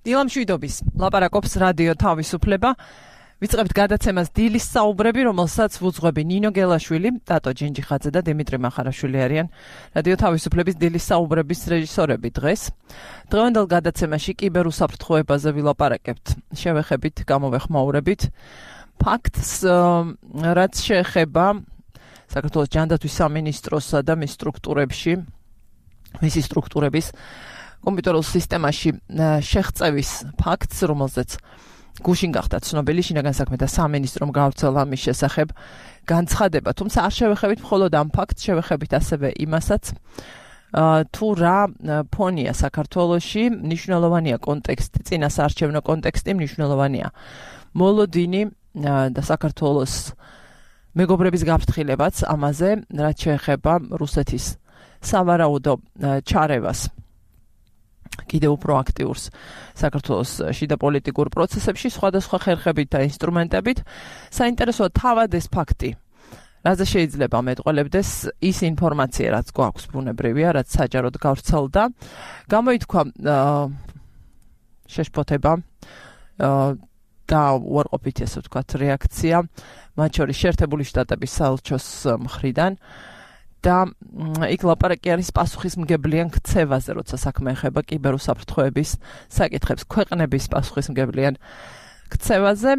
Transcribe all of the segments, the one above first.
დილამ შვიდობის ლაპარაკობს რადიო თავისუფლება. ვიწყებთ გადაცემას დილის საუბრები, რომელსაც ვუძღვები ნინო გელაშვილი, ტატო ჯინჯიხაძე და დიმიტრი მახარაშვილი არიან რადიო თავისუფლების დილის საუბრების რეჟისორები დღეს. დღევანდელ გადაცემაში კიბერუსაფრთხოებაზე ვილაპარაკებთ. შევეხებით, გამოვეხმაურებით ფაქტს, რაც შეეხება საქართველოს ჯანდაცვის სამინისტროსა და მის სტრუქტურებში, მისი სტრუქტურების კომპიუტერულ სისტემაში შეღწევის ფაქტს, რომელზეც გუშინ გახდა ცნობილი შინაგან საქმეთა სამინისტრომ გავრცელა მის შესახებ განცხადება. თუმცა არ შევეხებით მხოლოდ ამ ფაქტს, შევეხებით ასევე იმასაც, თუ რა ფონია საქართველოში, მნიშვნელოვანია კონტექსტი, წინასაარჩევნო კონტექსტი მნიშვნელოვანია. მოლოდინი და საქართველოს მეგობრების გაფრთხილებაც ამაზე, რაც შეეხება რუსეთის სავარაუდო ჩარევას კიდევ უფრო აქტიურს საქართველოს შიდა პოლიტიკურ პროცესებში სხვადასხვა ხერხებით და ინსტრუმენტებით. საინტერესოა თავად ეს ფაქტი, რაზე შეიძლება მეტყველებდეს ის ინფორმაცია, რაც გვაქვს ბუნებრივია, რაც საჯაროდ გავრცელდა. გამოითქვა შეშფოთება და უარყოფითი, ასე ვთქვათ, რეაქცია, მათ შორის შეერთებული შტატების საელჩოს მხრიდან. და იქ ლაპარაკი არის პასუხისმგებლიან ქცევაზე, როცა საქმე ეხება კიბერუსაფრთხოების საკითხებს, ქვეყნების პასუხისმგებლიან ქცევაზე.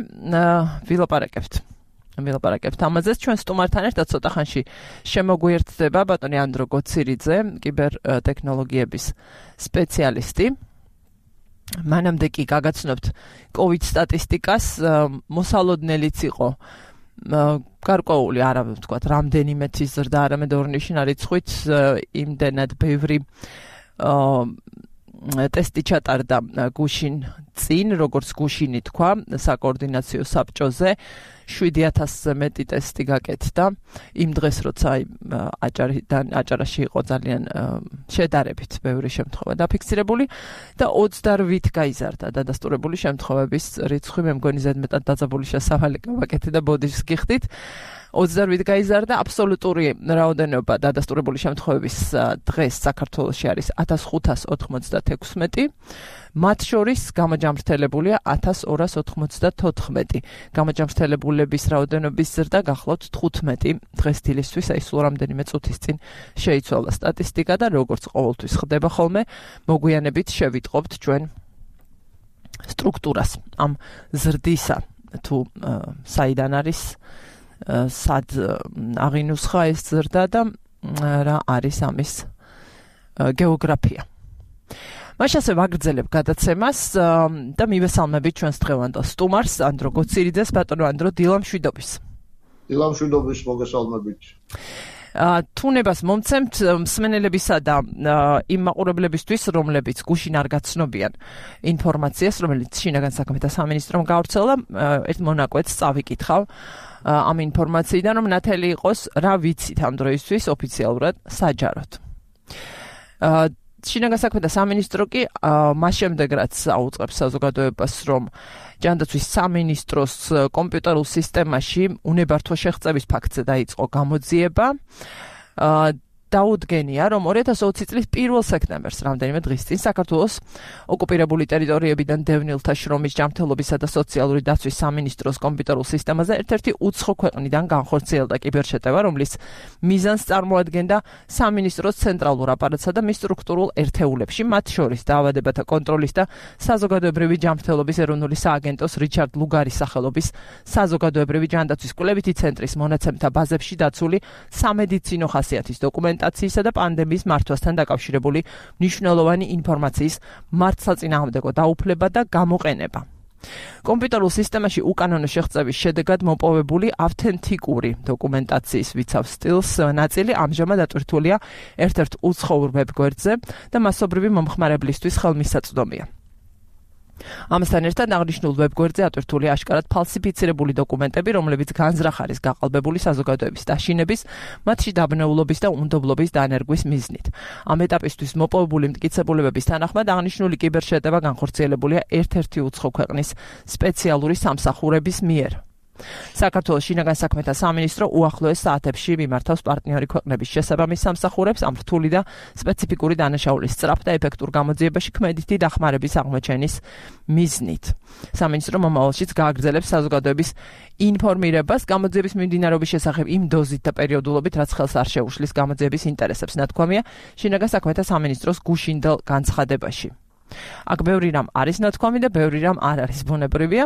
ვილაპარაკებთ ამაზე. ჩვენ სტუმართან ერთად ცოტა ხანში შემოგვიერთდება ბატონი ანდრო გოცირიძე, კიბერთექნოლოგიების სპეციალისტი. მანამდე კი გაგაცნობთ COVID სტატისტიკას, მოსალოდნელიც იყო გარკვეული, არა ვთქვათ, რამდენიმე თის ზრდა, არამედ ორნიშნა რიცხვით იმდენად ბევრი ტესტი ჩატარდა გუშინ წინ, როგორც გუშინი თქვა, საკოორდინაციო საბჭოზე 7,000-ზე მეტი ტესტი გაკეთდა. იმ დღეს, როცა აჭარაში იყო ძალიან შედარებით ბევრი შემთხვევა დაფიქსირებული და 28 გაიზარდა დადასტურებული შემთხვევების რიცხვი. მე მგონი ზედმეტად დაძაბული შესავალი გავაკეთე და ბოდიშს გიხდით. 28 გაიზარდა. აბსოლუტური რაოდენობა დადასტურებული შემთხვევების დღეს საქართველოში არის 1596. მათ შორის გამოჯამრთელებულია 1294. გამოჯამრთელებულების რაოდენობის ზრდა გახლავთ 15 დღეს დილისთვის, აი სულ რამდენიმე წუთის წინ შეიცვალა სტატისტიკა და როგორც ყოველთვის ხდება ხოლმე, მოგვიანებით შევიტყობთ ჩვენ სტრუქტურას ამ ზრდისა, თუ საიდან არის, სად აღინუსხა ეს ზრდა და რა არის ამის გეოგრაფია. მაშასე ვაგრძელებ გადაცემას და მივესალმებით ჩვენს დღევანდელ სტუმარს, ანდრო გოცირიძეს. ბატონო ანდრო, დილამ შვიდობის. დილამ შვიდობის, მოგესალმებით. თუნებას მომცემთ მსმენელებისა და იმ მაყურებლებისთვის, რომლებიც გუშინ არ გაცნობიან ინფორმაციას, რომელიც შინაგან საქმეთა სამინისტრომ გავრცელა, ერთ მონაკვეთს წავიკითხავ ამ ინფორმაციიდან, რომ ნათელი იყოს რა ვიცით ამ დროისთვის ოფიციალურად საჯაროდ. შინაგან საქმეთა სამინისტრო კი მას შემდეგ, რაც აუწყებს საზოგადოებას, რომ ჯანდაცვის სამინისტროს კომპიუტერულ სისტემაში უნებართვო შეღწევის ფაქტზე დაიწყო გამოძიება, დაუდგენია, რომ 2020 წლის 1 სექტემბერს, რამდენიმე დღის წინ, საქართველოს ოკუპირებული ტერიტორიებიდან დევნილთა შრომის ჯანმრთელობისა და სოციალური დაცვის სამინისტროს კომპიუტერულ სისტემაზე ერთ-ერთი უცხო ქვეყნიდან განხორციელდა კიბერშეტევა, რომლის მიზანს წარმოადგენდა სამინისტროს ცენტრალურ აპარატსა და მის სტრუქტურულ ერთეულებში, მათ შორის დაავადებათა კონტროლის და საზოგადოებრივი ჯანმრთელობის ეროვნული სააგენტოს რიჩარდ ლუგარის სახელობის საზოგადოებრივი ჯანდაცვის კვლევითი ცენტრის მონაცემთა ბაზებში დაცული სამედიცინო ხასიათის დოკუმენტაციისა და პანდემიის მართვასთან დაკავშირებული მნიშვნელოვანი ინფორმაციის მართლსაწინააღმდეგო დაუფლება და გამოყენება. კომპიუტერულ სისტემაში უკანონო შეღწევის შედეგად მოპოვებული ავთენტიკური დოკუმენტაციის ვიცავ სტილს ნაწილი ამჟამად ატვირთულია ერთ-ერთ უცხოურ ვებგვერდზე და მასობრივი მომხმარებლისთვის ხელმისაწვდომია. ამასთან ერთად აღნიშნულ ვებგვერდზე ატვირთულია აშკარად ფალსიფიცირებული დოკუმენტები, რომლებიც განზრახ არის გაყალბებული საზოგადოების დაშინების, მათში დაბნეულობის და უნდობლობის დანერგვის მიზნით. ამ ეტაპისთვის მოპოვებული მტკიცებულებების თანახმად აღნიშნული კიბერშეტევა განხორციელებულია ერთ-ერთი უცხო ქვეყნის სპეციალური სამსახურების მიერ. საქართველოს შინაგან საქმეთა სამინისტრო უახლოეს საათებში მიმართავს პარტნიორი ქვეყნების შესაბამის სამსახურებს ამ რთული და სპეციფიკური დანაშაულის სწრაფ და ეფექტურ გამოძიებაში ქმედითი დახმარების აღმოჩენის მიზნით. სამინისტრო მომავალშიც გააგრძელებს საზოგადოების ინფორმირებას გამოძიების მიმდინარეობის შესახებ იმ დოზით და პერიოდულობით, რაც ხელს არ შეუშლის გამოძიების ინტერესებს, ნათქვამია შინაგან საქმეთა სამინისტროს გუშინდელ განცხადებაში. აქ ბევრი რამ არის ნათქვამი და ბევრი რამ არ არის ბუნებრივია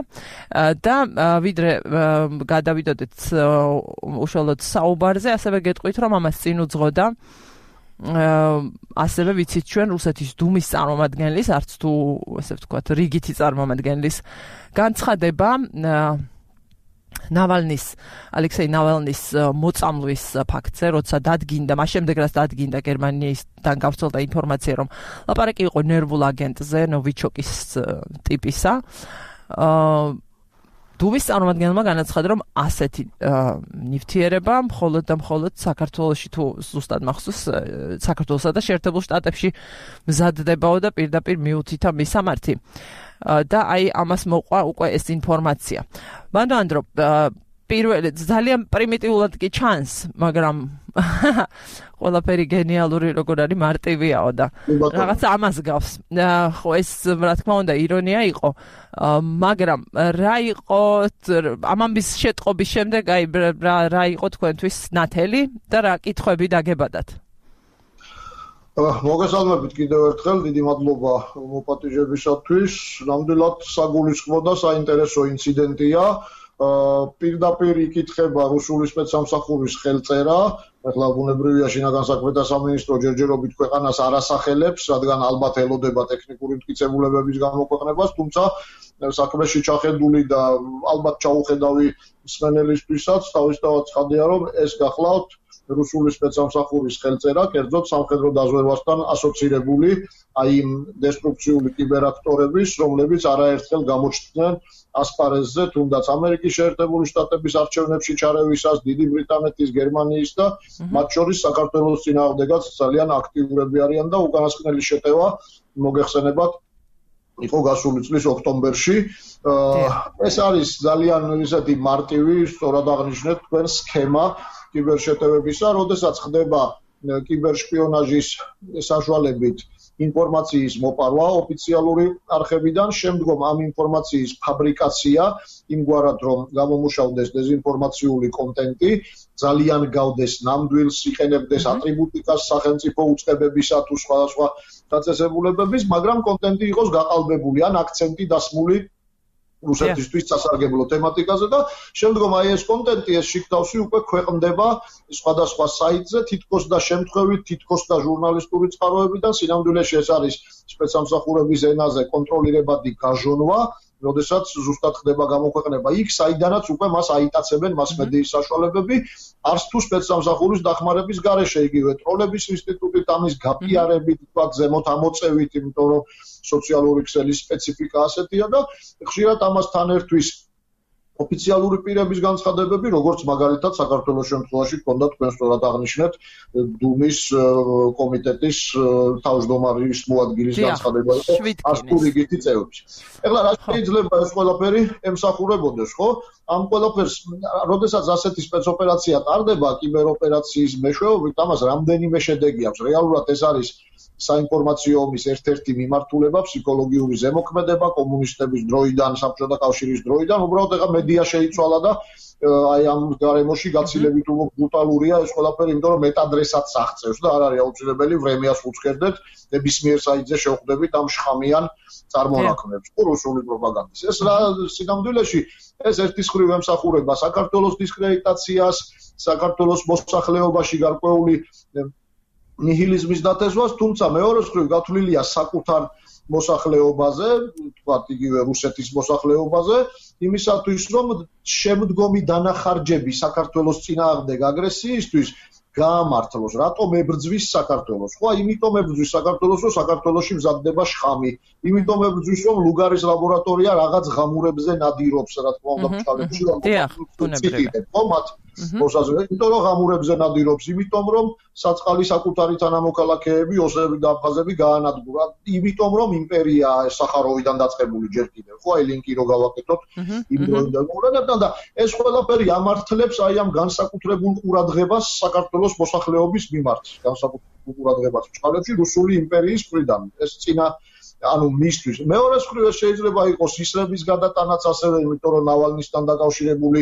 და ვიდრე გადავიდოდეთ უშუალოდ საუბარზე, ასევე გეტყვით, რომ ამას წინ უძღოდა ასევე ვიცით ჩვენ რუსეთის დუმის წარმომადგენლის, არც თუ ესე ვთქვათ, რიგითი წარმომადგენლის განცხადება ალექსეი ნავალნის მოწამლვის ფაქტზე, როცა დადგინდა, მას შემდეგ რაც დადგინდა გერმანიისთან გავრცელდა ინფორმაცია, რომ ლაპარაკი იყო ნერვულ აგენტზე, ნოვიჩოკის ტიპისა. დუმის წარმომადგენელმა განაცხადა, რომ ასეთი ნივთიერება მხოლოდ და მხოლოდ საქართველოში თუ ზუსტად მახსოვს, საქართველოსა და შეერთებულ შტატებში მზადდებაო და პირდაპირ მიუთითა მისამართი. და აი ამას მოყვა უკვე ეს ინფორმაცია. მანდ რომ პირველი ძალიან პრიმიტიულად კი ჩანს, მაგრამ ყველაფერი გენიალური როგორ არის მარტივიაო და რაღაც ამას გავს. ხო ეს რა თქმა უნდა ირონია იყო, მაგრამ რა იყო ამამის შეტყობის შემდეგ აი რა იყო თქვენთვის ნათელი და რა კითხვები დაგებადათ? მოგესალმებით კიდევ ერთხელ, დიდი მადლობა მოპატიჟებისათვის. ნამდვილად საგულისხმო და საინტერესო ინციდენტია. პირდაპირ იკითხება რუსული სპეცსამსახურის ხელწერა. ახლა ბუნებრივია შინაგან საქმეთა სამინისტრო ჯერჯერობით ქვეყანას არ ასახელებს, რადგან ალბათ ელოდება ტექნიკური მტკიცებულებების გამოქვეყნებას, თუმცა საქმეში ჩახედული და ალბათ ჩაუხედავი მსმენელისთვისაც თავისთავად ცხადია, რომ ეს გახლავთ რუსული სპეცსამსახურის ხელწერა, კერძოდ სამხედრო დაზვერვასთან ასოცირებული აი იმ დესტრუქციული კიბერაქტორების, რომლებიც არაერთხელ გამოჩნდნენ ასპარეზზე, თუნდაც ამერიკის შეერთებული შტატების არჩევნებში ჩარევისას, დიდი ბრიტანეთის, გერმანიის და მათ შორის საქართველოს წინააღმდეგაც ძალიან აქტიურები არიან და უკანასკნელი შეტევა მოგეხსენებათ იყო გასული წლის ოქტომბერში. ეს არის ძალიან ისეთი მარტივი, სწორად აღნიშნეთ თქვენ სქემა კიბერშეტევებისა, როდესაც ხდება კიბერშპიონაჟის საშუალებით ინფორმაციის მოპარვა ოფიციალური არხებიდან, შემდგომ ამ ინფორმაციის ფაბრიკაცია, იმგვარად რომ გამომუშავდეს დეზინფორმაციული კონტენტი, ძალიან გავდეს ნამდვილს, იყენებდეს ატრიბუტიკას სახელმწიფო უწყებებისა თუ სხვადასხვა დაწესებულებების, მაგრამ კონტენტი იყოს გაყალბებული ან აქცენტი დასმული რუსეთისთვის სასარგებლო თემატიკაზე და შემდგომ აი ეს კონტენტი, ეს შიგთავსი უკვე ქვეყნდება სხვადასხვა საიტზე, თითქოს და შემთხვევით, თითქოს და ჟურნალისტური წყაროებიდან, სინამდვილეში ეს არის სპეცსამსახურების ენაზე კონტროლირებადი გაჟონვა, როდესაც ზუსტად ხდება გამოქვეყნება იქ, საიდანაც უკვე მას აიტაცებენ მასმედიის საშუალებები, არც თუ სპეცსამსახურის დახმარების გარეშე, იგივე ტროლების ინსტიტუტით, ამის გაპიარებით, თქვა ზემოთ ამოწევით, იმიტომ რომ სოციალური ქსელის სპეციფიკა ასეთია და ხშირად ამასთან ერთვის ოფიციალური პირების განცხადებები, როგორც მაგალითად საქართველოს შემთხვევაში ჰქონდა თქვენ სწორად აღნიშნეთ დუმის კომიტეტის თავმჯდომარის მოადგილის განცხადება იყო ასტუ რიგითი წევრების. ეხლა რა შეიძლება ეს ყველაფერი ემსახურებოდეს, ხო? ამ ყველაფერს, როდესაც ასეთი სპეცოპერაცია ტარდება კიბეროპერაციის მეშვეობით, ამას რამდენიმე შედეგი აქვს. რეალურად ეს არის საინფორმაციო ომის ერთ-ერთი მიმართულება, ფსიქოლოგიური ზემოქმედება კომუნისტების დროიდან, საბჭოთა კავშირის დროიდან, უბრალოდ ეხა მედია შეიცვალა და აი ამ გარემოში გაცილებით ბრუტალურია ეს ყველაფერი, იმიტომ რომ მეტადრესაც აღწევს და არ არის აუცილებელი ვრემიას უცხერდეთ, ნებისმიერ საიტზე შევხვდებით ამ შხამიან წარმონაქმნებს, რუსული პროპაგანდის. ეს რა სინამდვილეში ეს ერთის მხრივ ემსახურება საქართველოს დისკრედიტაციას, საქართველოს მოსახლეობაში გარკვეული ნიჰილიზმის დათესვას, თუმცა მეორეს მხრივ გათვლილია საკუთარ მოსახლეობაზე, თქვათ იგივე რუსეთის მოსახლეობაზე, იმისათვის რომ შემდგომი დანახარჯები საქართველოს წინააღმდეგ აგრესიისთვის გაამართლოს, რატომ ებრძვის საქართველოს. ხო, იმიტომ ებრძვის საქართველოს, რომ საქართველოში მზადდება შხამი, იმიტომ ებრძვის, რომ ლუგარის ლაბორატორია რაღაც ღამურებზე ნადირობს, რა თქმა უნდა, ბჭყალებში, ხო, მოსაზრება, იმიტომ რომ ღამურებზე ნადირობს, იმიტომ რომ საწყალი საკუთარი თანამოქალაქეები, ოსები და აფხაზები გაანადგურა, იმიტომ რომ იმპერია სახაროვიდან დაწყებული ჯერ კიდევ, ხო, აი ლინკი რო გავაკეთოთ, იმ დროიდან და ეს ყველაფერი ამართლებს აი ამ განსაკუთრებულ ყურადღებას საქართველოს მოსახლეობის მიმართ, განსაკუთრებულ ყურადღებას ჩქარებში რუსული იმპერიის მხრიდან. ეს წინა ანუ მისთვის მეორე მხრივ შეიძლება იყოს ისრების გადატანაც ასევე, იმიტომ რომ ნავალნისთან დაკავშირებული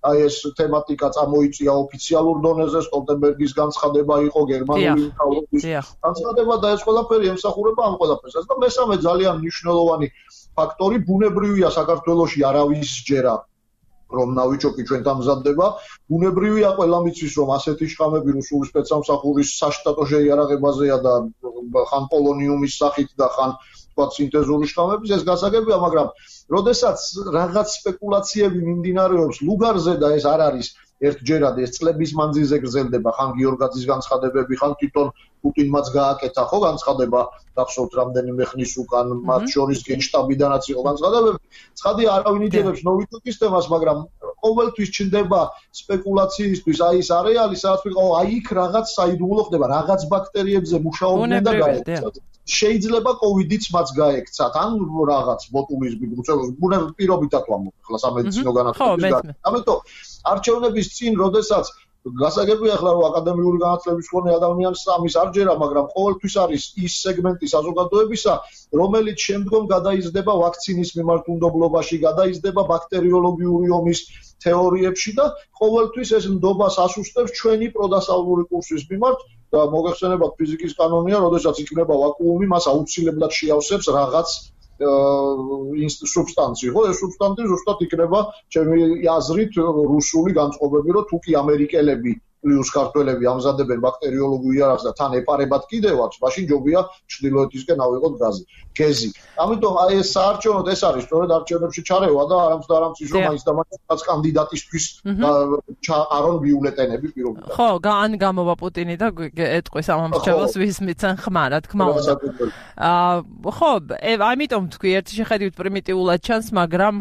აი ეს თემატიკა წამოიწია ოფიციალურ დონეზე, სტოლტენბერგის განცხადება იყო, გერმანული მთავრობის განცხადება და ეს ყველაფერი ემსახურება ამ ყველაფერსაც და მესამე ძალიან მნიშვნელოვანი ფაქტორი ბუნებრივია საქართველოში არავის ჯერა რომ ნავიჩოკი ჩვენ დამზადდება, ბუნებრივია ყველა მიცის რომ ასეთი შხამები რუსული სპეცსამსახურის საშტატო შეიარაღებაზეა და ხან პოლონიუმის სახით და ხან თქვა სინთეზური შხამების ეს გასაგებია, მაგრამ როდესაც რაღაც სპეკულაციები მიმდინარეობს ლუგარზე და ეს არ არის ერთჯერად, ეს წლების მანძილზე გრძელდება, ხან გიორგაძის განცხადებები, ხან თვითონ პუტინმაც გააკეთა ხო განცხადება, გახსოვთ რამდენიმე ხნის უკან, მათ შორის გენშტაბიდანაც იყო განცხადებები. ცხადია არავინ იჯერებს ნოვიჩოკის თემას, მაგრამ ყოველთვის ჩნდება სპეკულაციისთვის აი ეს არეალი, სადაც ვიყავ, აი იქ რაღაც საიდუმლო ხდება, რაღაც ბაქტერიებზე მუშაობდნენ და გაექცათ. შეიძლება კოვიდიც მას გაექცათ, ან რაღაც ბოტულიზმი, პირობითად ვამბობ, ახლა სამედიცინო განათლების გარდა. ამიტომ არჩევნების წინ, როდესაც გასაგებია ახლა რომ აკადემიური განათლების მქონე ადამიანს ამის არ ჯერა, მაგრამ ყოველთვის არის ის სეგმენტი საზოგადოებისა, რომელიც შემდგომ გადაიზრდება ვაქცინის მიმართულობაში, გადაიზრდება ბაქტერიოლოგიური ომის თეორიებში და ყოველთვის ეს ნდობას ასუსტებს ჩვენი პროდასავლური კურსის მიმართ და მოგეხსენებათ ფიზიკის კანონია, როდესაც იქნება ვაკუუმი, მას აუცილებლად შეავსებს რაღაც სუბსტანცი, ხო? ეს სუბსტანცი ზუსტად იქნება ჩემი აზრით რუსული განწყობები, რომ თუ კი ამერიკელები პლუს ქართველები ამზადებენ ბაქტერიოლოგიურ იარაღს და თან ეპარებათ კიდევაც, მაშინ ჯობია ჩრდილოეთისკენ ავიღოთ გეზი. ამიტომ აი ეს საარჩევნოდ ეს არის სწორედ არჩევნებში ჩარევა და არამც და არამც ის რომ მაინც და მაინც კანდიდატისთვის არონ ბიულეტენები პირობითად. ხო, ან გამოვა პუტინი და ეტყვის ამ ამბავს ვისმიცენ ხმა, რა თქმა უნდა. ხო, ამიტომ თქვი ერთი შეხედვით პრიმიტიულად ჩანს, მაგრამ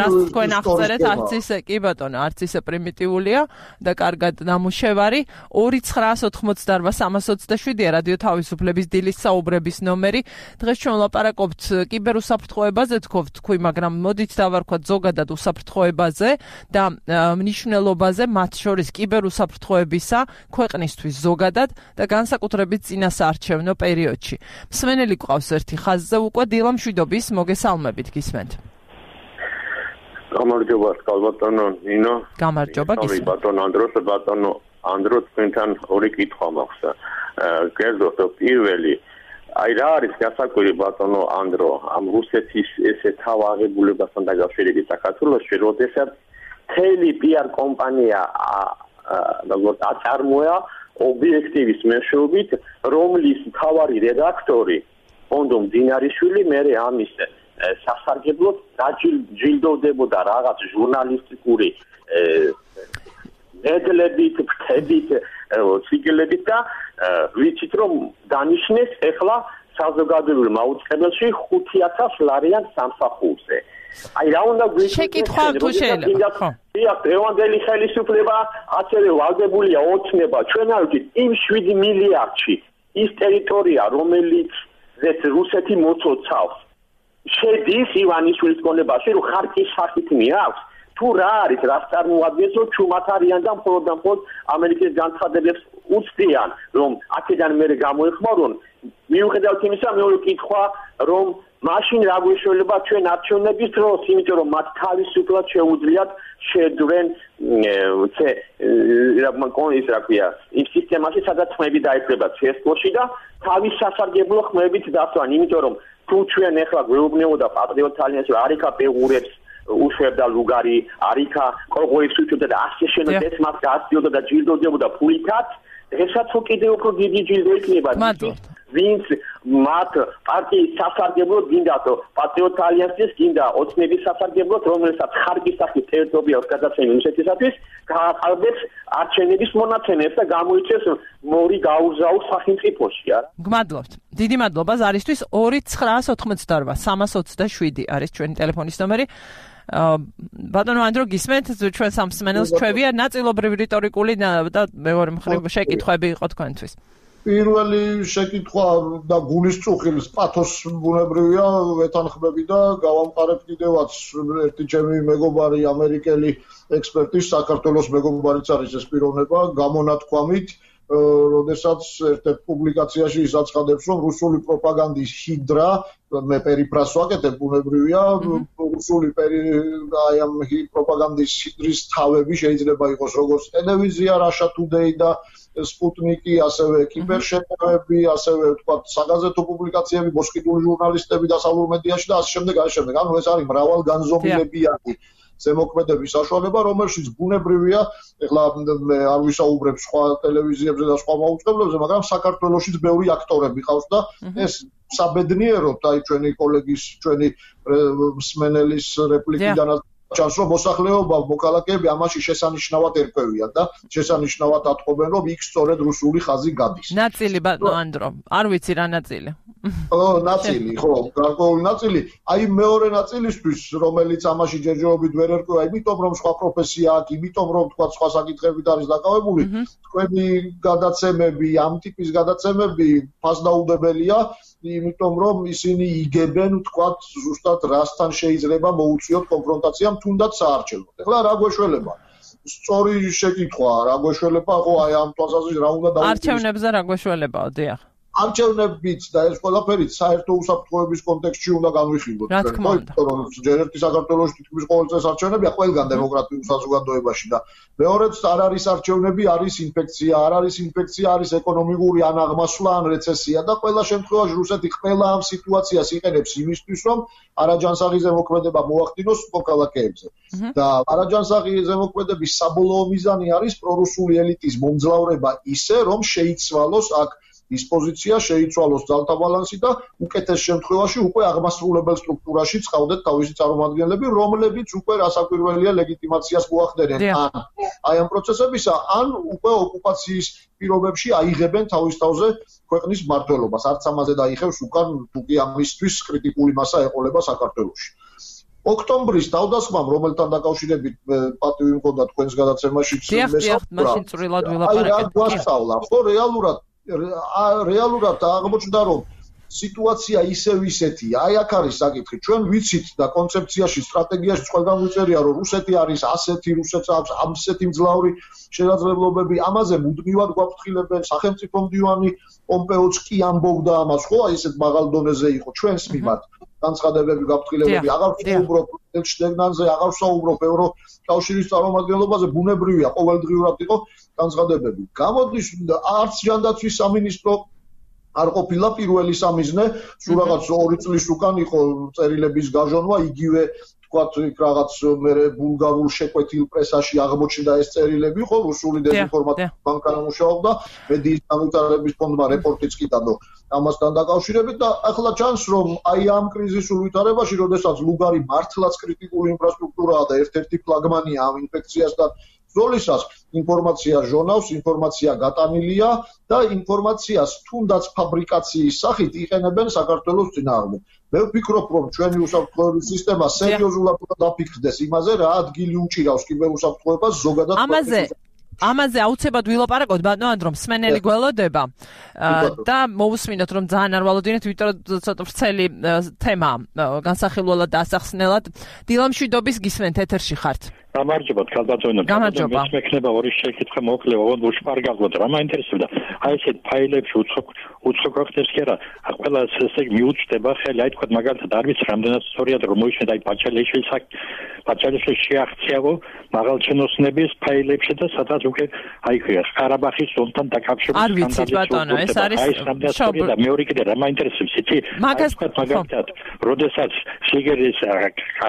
რაც თქვენ აღწერეთ, არც ისე კი ბატონო, არც ისე პრიმიტიულია და კარგად ნამუშევარი 2988327-ია რადიო თავისუფლების დილის საუბრების ნომერი. დღეს ჩვენ ვლაპარაკობთ კიბერუსაფრთხოებაზე, თქვი, მაგრამ მოდით დავარქვათ ზოგადად უსაფრთხოებაზე და მნიშვნელობაზე, მათ შორის კიბერუსაფრთხოებისა ქვეყნისთვის ზოგადად და განსაკუთრებით წინასაარჩევნო პერიოდში. მსმენელი გვყავს ერთი ხაზზე უკვე, დილა მშვიდობის, მოგესალმებით, გისმენთ. გამარჯობა, ბატონო ნინო. გამარჯობა, გისმენთ. ბატონო ანდრო, თქვენთან ორი კითხვა მაქვს. კერძოდ პირველი, აი რა არის გასაკვირი ბატონო ანდრო, ამ რუსეთის ესე თავაღებულებასთან დაკავშირებით საქართველოში, როდესაც მთელი PR კომპანია როგორც აწარმოა ობიექტივის მეშვეობით, რომლის მთავარი რედაქტორი პონდო მძინარიშვილი მერე ამის სასარგებლოდ დაჯილდოვდებოდა რაღაც ჟურნალისტიკური მედლებით, ფრთებით, ციკლებით და ვიცით რომ დანიშნეს ახლა საზოგადოებრივ მაუწყებელში 5000 ლარიან სამსახურზე. აი რა უნდა გვიქცეს? შეკითხვა თუ შეიძლება. ხო. დღევანდელი ხელისუფლება ასევე ვალდებულია ოცნება. ჩვენ არ ვიცით იმ 7 მილიარდში ის ტერიტორია, რომელიც რუსეთი მოცოცავს, შედის ივანიშვილის კონებაში, რომ ხარკის სახით მიაქვს. თუ რა არის, რას წარმოადგენს, რომ ჩუმად არიან და მხოლოდ ამერიკის განცხადებებს უცდიან, რომ აქედან მერე გამოეხმარონ. მიუხედავად იმისა, მეორე კითხვა, რომ მაშინ რა გვეშველება ჩვენ არჩევნების დროს, იმიტომ რომ მათ თავისუფლად შეუძლიათ შეძვრენ იმ სისტემაში, სადაც ხმები დაეწება CSGO-ში და თავის სასარგებლო ხმებით დასვან, იმიტომ რომ თუ ჩვენ ახლა გვეუბნებოდა პატრიოტ ალიანსი, არიქა პეღურებს უშვებდა ლუგარი, არიქა კოლღოებს უჩვენდა და ასე შენოდეს მას გააცდიოდა და ჯილდოვდებოდა ფულითაც, დღესაც კიდევ უფრო დიდი ჯილდო იქნება. ვინც მათ პარტიის სასარგებლოდ გინდათ, პატრიოტ ალიანსის გინდა ოცნების სასარგებლოდ, რომელსაც ხარკის სახით ტერიტორიას გადაცემა რუსეთისათვის, გააყალბებს არჩევნების მონაცემებს და გამოიწვევს მორი გაუზაურ სახელმწიფოში, არა? გმადლობთ. დიდი მადლობა ზარისთვის. 2988 327 არის ჩვენი ტელეფონის ნომერი. ბატონო ანდრო გისმენთ ჩვენ სამსმენელს ჩვევია ნაწილობრივ რიტორიკული და მეორე მხრივ შეკითხვები იყო თქვენთვის. პირველი შეკითხვა და გულისწუხილს პათოს ბუნებრივია ვეთანხმები და გავამყარებ კიდევაც ერთი ჩემი მეგობარი ამერიკელი ექსპერტი საქართველოს მეგობარიც არის ეს პიროვნება გამონათქვამით როდესაც ერთ-ერთ პუბლიკაციაში ის აცხადებს რომ რუსული პროპაგანდის ჰიდრა მე პერიფრას ვაკეთებ ბუნებრივია რუსული აი ამ პროპაგანდის ჰიდრის თავები შეიძლება იყოს როგორც ტელევიზია Russia Today და სპუტნიკი, ასევე კიბერშეტევები, ასევე თქვა საგაზეთო პუბლიკაციები, მოსყიდული ჟურნალისტები დასავლურ მედიაში და ასე შემდეგ. ანუ ეს არის მრავალგანზომილებიანი ზემოქმედების საშუალება, რომელშიც ბუნებრივია, ეხლა მე არ ვისაუბრებ სხვა ტელევიზიებზე და სხვა მაუწყებლებზე, მაგრამ საქართველოშიც ბევრი აქტორები ყავს და ეს საბედნიეროდ აი ჩვენი კოლეგის, ჩვენი მსმენელის რეპლიკიდანაც ჩანს რომ მოსახლეობა მოქალაქეები ამაში შესანიშნავად ერკვევიან და შესანიშნავად ატყობენ რომ იქ სწორედ რუსული ხაზი გადის. ნაწილი ბატონო ანდრო, არ ვიცი რა ნაწილი. ნაწილი, ხო, გარკვეული ნაწილი. აი მეორე ნაწილისთვის, რომელიც ამაში ჯერჯერობით ვერ ერკვევა, იმიტომ რომ სხვა პროფესია აქვს, იმიტომ რომ თქვა სხვა საკითხებით არის დაკავებული, თქვენი გადაცემები, ამ ტიპის გადაცემები ფასდაუდებელია, იმიტომ რომ ისინი იგებენ, თქვა, ზუსტად რასთან შეიძლება მოუწიოთ კონფრონტაცია თუნდაც საარჩევნოდ. ეხლა რა გვეშველება? სწორი შეკითხვაა, რა გვეშველება, ხო, აი ამ თვალსაზრისით რა უნდა დავუკვირდეთ? არჩევნებზე რა გვეშველებაო, დიახ. არჩევნებიც და ეს ყველაფერიც საერთო უსაფრთხოების კონტექსტში უნდა განვიხილოთ. რა თქმა უნდა. რომ ჯერ ერთი საქართველოში თითქმის ყოველ წელს არჩევნებია ყველგან დემოკრატიულ საზოგადოებაში და მეორეც არ არის არჩევნები, არის ინფექცია, არ არის ინფექცია, არის ეკონომიკური ანაღმასვლა ან რეცესია და ყველა შემთხვევაში რუსეთი ყველა ამ სიტუაციას იყენებს იმისთვის, რომ არაჯანსაღი ზემოქმედება მოახდინოს მოქალაქეებზე. და არაჯანსაღი ზემოქმედების საბოლოო მიზანი არის პრორუსული ელიტის მომძლავრება ისე, რომ შეიცვალოს აქ ის პოზიცია შეიცვალოს ძალთა ბალანსი და უკეთეს შემთხვევაში უკვე აღმასრულებელ სტრუქტურაში წავდეთ თავისი წარმომადგენლები, რომლებიც უკვე რასაკვირველია ლეგიტიმაციას მოახდენენ აი ამ პროცესებისა, ან უკვე ოკუპაციის პირობებში აიღებენ თავის თავზე ქვეყნის მმართველობას. არც ამაზე დაიხევს უკან თუკი ამისთვის კრიტიკული მასა ეყოლება საქართველოში. ოქტომბრის თავდასხმამ, რომელთან დაკავშირებით პატივი მქონდა თქვენს გადაცემაში მაშინ წვრილად ვილაპარაკეთ. ხო, რეალურად აღმოჩნდა რომ სიტუაცია ისევ ისეთია. აი აქ არის საკითხი. ჩვენ ვიცით და კონცეფციაში, სტრატეგიაში ყველგან ვიწერია რომ რუსეთი არის ასეთი, რუსეთს აქვს ამსეთი მძლავრი შესაძლებლობები. ამაზე მუდმივად გვაფრთხილებენ. სახელმწიფო მდივანი პომპეოც კი ამბობდა ამას, ხო, აი ესეთ მაღალ დონეზე იყო ჩვენს მიმართ. განცხადებები გაფრთხილებები აღარ ვსაუბრობ შტეგნანზე, აღარ ვსაუბრობ ევროკავშირის წარმომადგენლობაზე, ბუნებრივია ყოველდღიურად იყო განცხადებები. გამოდის არც ჯანდაცვის სამინისტრო არ ყოფილა პირველი სამიზნე, სულ რაღაც 2 წლის უკან იყო წერილების გაჟონვა, იგივე თქვათ იქ რაღაც მე ბულგარულ შეკვეთილ პრესაში აღმოჩნდა ეს წერილები, ხო, რუსული დეзинფორმაციის ბანკა მუშაობდა, მედიის განვითარების ფონდმა რეპორტიც კი დადო ამასთან დაკავშირებით და ახლა ჩანს რომ აი ამ კრიზისულ ვითარებაში, როდესაც ლუგარი მართლაც კრიტიკული ინფრასტრუქტურაა და ერთ-ერთი ფლაგმანია ამ ინფექციასთან ბრძოლისას, ინფორმაცია ჟონავს, ინფორმაცია გატანილია და ინფორმაციას თუნდაც ფაბრიკაციის სახით იყენებენ საქართველოს წინააღმდეგ. მე ვფიქრობ, რომ ჩვენი უსაფრთხოების სისტემა სერიოზულად დაფიქრდეს იმაზე, რა ადგილი უჭირავს კიბერუსაფრთხოებას ზოგადად. ამაზე აუცილებლად ვილაპარაკოთ, ბატონო ანდრო, მსმენელი გველოდება და მოусმინოთ, რომ ძალიან არ ვალოდინეთ, ვიტყოდ ცოტა ვრცელი თემა განსახილველად და ასახსნელად. დილამშვიდობის გისმენთ, ეთერში ხართ. გამარჯობათ, ქალბატონო. გამარჯობა. მე მექნება ორი შეკითხვა მოკლე, უშპარგალოთ, რა მაინტერესებდა. აი ესეთ ფაილებში უცხო გვახდებს კი არა, ყველა ესე მიუწვდება ხელი, აი თქვა მაგალითად არ ვიცი რამდენად სწორია რომ მოიშნე აი პაჩალიშვილის შეაღწიაო მაღალჩინოსნების ფაილებში და სადაც უკვე აი ყარაბაღის ზონთან დაკავშირებით არ ვიცით ბატონო, ეს არის და მეორე კიდე რა მაინტერესებს იცი? მაგალითად, როდესაც სიგერის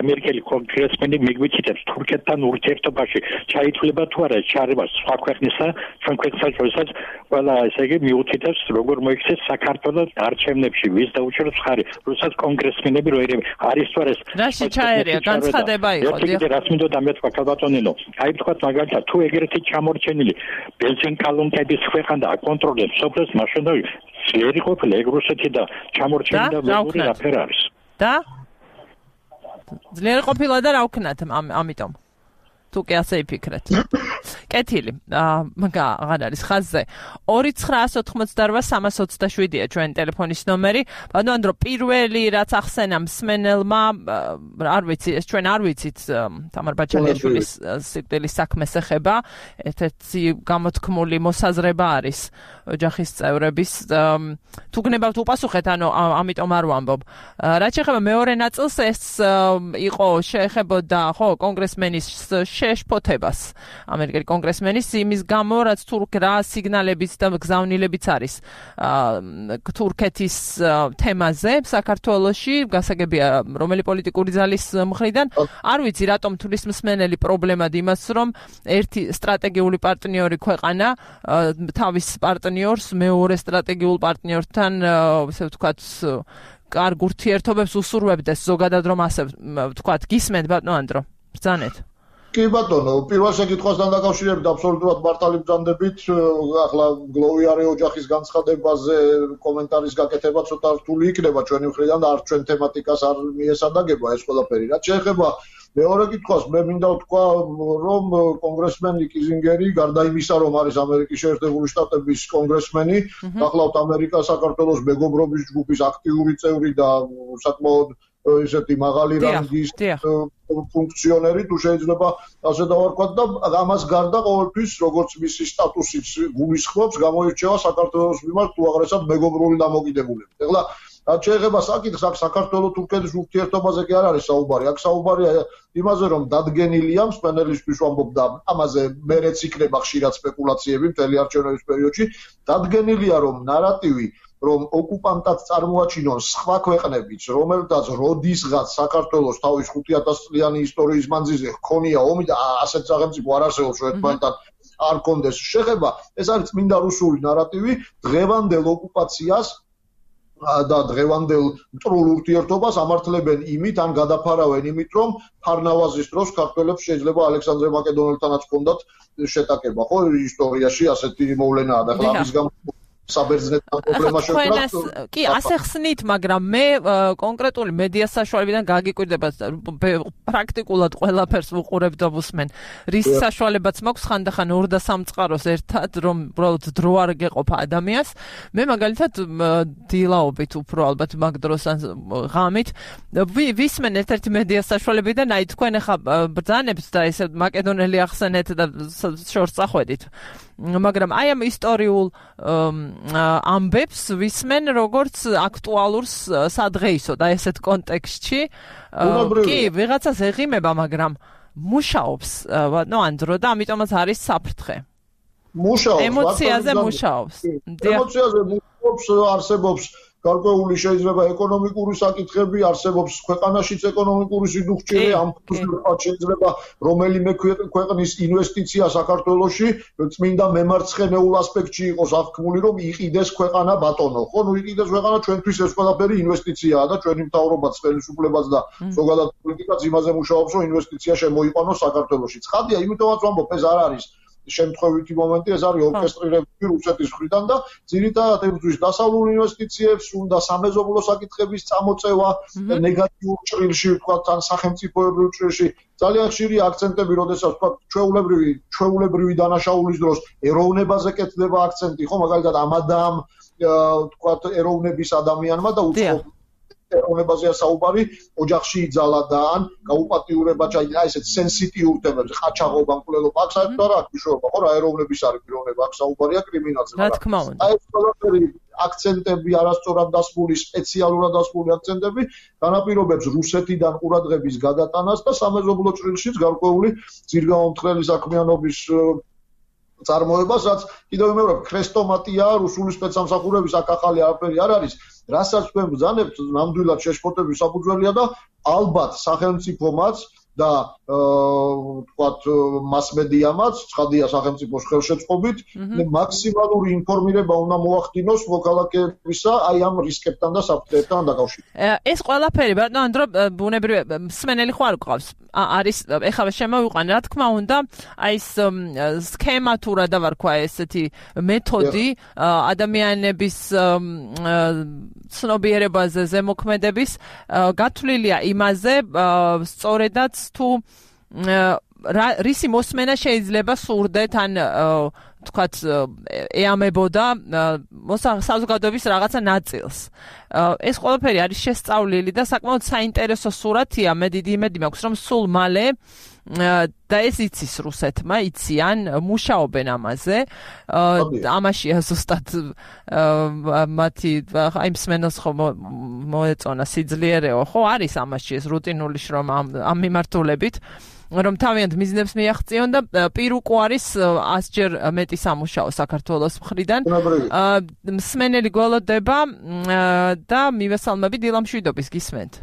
ამერიკელი კონგრესმენი მიგვიჩიტებს თურქეთთან ურთიერთობაში ჩაითვლება თუ არა ჩარევა სხვა ქვეყნისა, ჩვენ ქვეყნსაც როდესაც ყველა ესე იგი მიუთითებს როგორ მოიქცეს საქართველოს არჩევნებში ვის დაუჭერებს ხარი, როდესაც კონგრესმენები როერები არის თუ არა ეს რაში ჩაერია განცხადება იყო და რაც მინდოდა მე თქვა ქალბატონინო, აი თქვა მაგალითად თუ ეგრეთი ჩამორჩენილი ბენზინკალუნკების ქვეყანა აკონტროლებს სოფლებს მაშინ ძლიერი ყოფილა ეგ რუსეთი და ჩამორჩენილი და მეგობრი რაფერ არის და ძლიერი ყოფილა და რა ვქნათ ამიტომ. თუ კი ასე იფიქრეთ. კეთილი. აღარ არის ხაზზე. 2988327-ია ჩვენ ტელეფონის ნომერი. ბატონო, პირველი რაც ახსენა მსმენელმა, არ ვიცი, ეს ჩვენ არ ვიცით თამარ ბაჩალიშვილის სიკვდილის საქმეს ეხება. ერთ-ერთი გამოთქმული მოსაზრება არის ოჯახის წევრების. თუ გნებავთ უპასუხეთ, ანუ ამიტომ არ ვამბობ. რაც შეეხება მეორე ნაწილს, ეს იყო შეეხებოდა ხო კონგრესმენის შეშფოთებას ამერიკელი კონგრესმენის იმის გამო, რაც რა სიგნალებიც და გზავნილებიც არის თურქეთის თემაზე საქართველოში, გასაგებია რომელი პოლიტიკური ძალის მხრიდან. არ ვიცი რატომ თulis მსმენელი პრობლემად იმას, რომ ერთი სტრატეგიული პარტნიორი ქვეყანა თავის პარტნიორს მეორე სტრატეგიულ პარტნიორთან ესე ვთქვათ კარგ ურთიერთობებს უსურვებდეს ზოგადად რომ ასე ვთქვათ გისმენთ ბატონო ანდრო ბრძანეთ კი ბატონო, პირველ შეკითხვასთან დაკავშირებით აბსოლუტურად მართალი ბრძანდებით. ახლა გლოვიარე ოჯახის განცხადებაზე კომენტარის გაკეთება ცოტა რთული იქნება ჩვენი მხრიდან და არ ჩვენ თემატიკას არ მიესადაგება ეს ყველაფერი. რაც შეეხება მეორე კითხვას, მე მინდა ვთქვა, რომ კონგრესმენი კიზინგერი, გარდა იმისა, რომ არის ამერიკის შეერთებული შტატების კონგრესმენი, ახლავთ ამერიკა საქართველოს მეგობრობის ჯგუფის აქტიური წევრი და საკმაოდ ისეთი მაღალი რანგის ფუნქციონერი, თუ შეიძლება ასე დავარქვათ და ამას გარდა ყოველთვის, როგორც მისი სტატუსიც გულისხმობს, გამოირჩევა საქართველოს მიმართ უაღრესად მეგობრული დამოკიდებულებით. ეხლა რაც შეეხება საკითხს, აქ საქართველო-თურქეთის ურთიერთობაზე კი არ არის საუბარი. აქ საუბარია იმაზე, რომ დადგენილია მსმენელისთვის ვამბობ და ამაზე მერეც იქნება ხშირად სპეკულაციები მთელი არჩევნების პერიოდში, დადგენილია, რომ ნარატივი რომ ოკუპანტად წარმოაჩინონ სხვა ქვეყნებიც, რომელთაც როდისღაც საქართველოს თავის 5000 წლიანი ისტორიის მანძილზე ჰქონია ომი და ასეთ სახელმწიფო არ არსებობს, რომ ერთმანეთთან არ კონდეს შეხება, ეს არის წმინდა რუსული ნარატივი დღევანდელ ოკუპაციას და დღევანდელ მტრულ ურთიერთობას ამართლებენ იმით, ან გადაფარავენ იმით, რომ ფარნავაზის დროს ქართველებს შეიძლება ალექსანდრე მაკედონელთანაც ჰქონდათ შეტაკება, ხო, ისტორიაში ასეთი მოვლენაა და ახლა ამის გამო საბერძნეთთან პრობლემა შექმნას. კი, ასე ხსნით, მაგრამ მე კონკრეტული მედია საშუალებიდან გაგიკვირდება პრაქტიკულად ყველაფერს ვუყურებ და ვუსმენ. რის საშუალებაც მაქვს ხანდახან 2 და 3 წყაროს ერთად, რომ უბრალოდ დრო არ გეყოფა ადამიანს. მე მაგალითად დილაობით უფრო ალბათ მაგ დროს ან ღამით ვისმენ ერთ-ერთი მედია საშუალებიდან, აი თქვენ ახლა ბრძანებთ და ესე მაკედონელი ახსენეთ და შორს წახვედით. მაგრამ აი ამ ისტორიულ ამბებს ვისმენ როგორც აქტუალურს სადღეისო და ესეთ კონტექსტში კი ვიღაცას ეღიმება, მაგრამ მუშაობს ბატონო ანდრო და ამიტომაც არის საფრთხე. მუშაობს ემოციაზე მუშაობს. ემოციაზე მუშაობს, არსებობს გარკვეული შეიძლება ეკონომიკური საკითხები, არსებობს ქვეყანაშიც ეკონომიკური სიდუხჭე, ამ ფუძვლად შეიძლება რომელიმე ქვეყნის ინვესტიცია საქართველოში წმინდა მემარცხენეულ ასპექტში იყოს აღქმული, რომ იყიდეს ქვეყანა ბატონო. ხო, ნუ იყიდეს ქვეყანა, ჩვენთვის ეს ყველაფერი ინვესტიციაა და ჩვენი მთავრობაც, ხელისუფლებაც და ზოგადად პოლიტიკაც იმაზე მუშაობს, რომ ინვესტიცია შემოიყვანოს საქართველოში. ცხადია, იმიტომაც ვამბობ, ეს არ არის შემთხვევითი მომენტი, ეს არის ორკესტრირებული რუსეთის მხრიდან და ძირითადად ებრძვის დასავლურ ინვესტიციებს, უნდა სამეზობლო საკითხების წამოწევა, ნეგატიურ ჭრილში, ვთქვათ, ან სახელმწიფოებრივ ჭრილში. ძალიან ხშირია აქცენტები, როდესაც ვთქვათ, ჩვეულებრივი დანაშაულის დროს ეროვნებაზე კეთდება აქცენტი, ხო, მაგალითად ამადამ, ვთქვათ, ეროვნების ადამიანმა და უცხო ეროვნებაზეა საუბარი, ოჯახში იძალა და ან გაუპატიურება ჩაიდგა ესეთ სენსიტიურ თემებზე, ყაჩაღობა, მკვლელობა, აქ საერთოდ არ აქვს მნიშვნელობა, ხო, რა ეროვნების არის პიროვნება, აქ საუბარია კრიმინალზე, მაგრამ აი ეს ყველაფერი აქცენტები არასწორად დასმული, სპეციალურად დასმული აქცენტები განაპირობებს რუსეთიდან ყურადღების გადატანას და სამეზობლო ჭრილშიც გარკვეული ძირგაომთხრელი საქმიანობის წარმოებას, რაც კიდევ ვიმეორებ, ქრესტომატია რუსული სპეცსამსახურების აქ ახალი არაფერი არ არის. რასაც თქვენ ბრძანებთ, ნამდვილად შეშფოთების საფუძველია და ალბათ სახელმწიფომაც და ვთქვათ მასმედიამაც, ცხადია სახელმწიფოს ხელშეწყობით, მაქსიმალური ინფორმირება უნდა მოახდინოს მოქალაქეებისა აი ამ რისკებთან და საფრთხეებთან დაკავშირებით. ეს ყველაფერი ბატონო ანდრო ბუნებრივი მსმენელი ხო არ გვყავს? არის ეხლა შემოვიყვანე რა თქმა უნდა აი ეს სქემა თუ რა დავარქვა ესეთი მეთოდი ადამიანების ცნობიერებაზე ზემოქმედების გათვლილია იმაზე სწორედაც თუ რისი მოსმენა შეიძლება სურდეთ ან თქვათ ეამებოდა საზოგადოების რაღაცა ნაწილს. ეს ყველაფერი არის შესწავლილი და საკმაოდ საინტერესო სურათია, მე დიდი იმედი მაქვს, რომ სულ მალე და ეს იცის რუსეთმა, იციან, მუშაობენ ამაზე. ამაშია ზუსტად მათი აი მსმენელს ხო მოეწონა სიძლიერეო, ხო არის ამაში ეს რუტინული შრომა ამ მიმართულებით. რომ თავიანთ მიზნებს მიაღწიონ და პირუკო არის 100 ჯერ მეტი სამუშაო საქართველოს მხრიდან. მსმენელი გველოდება და მივესალმები დილამშვიდობის გისმენთ.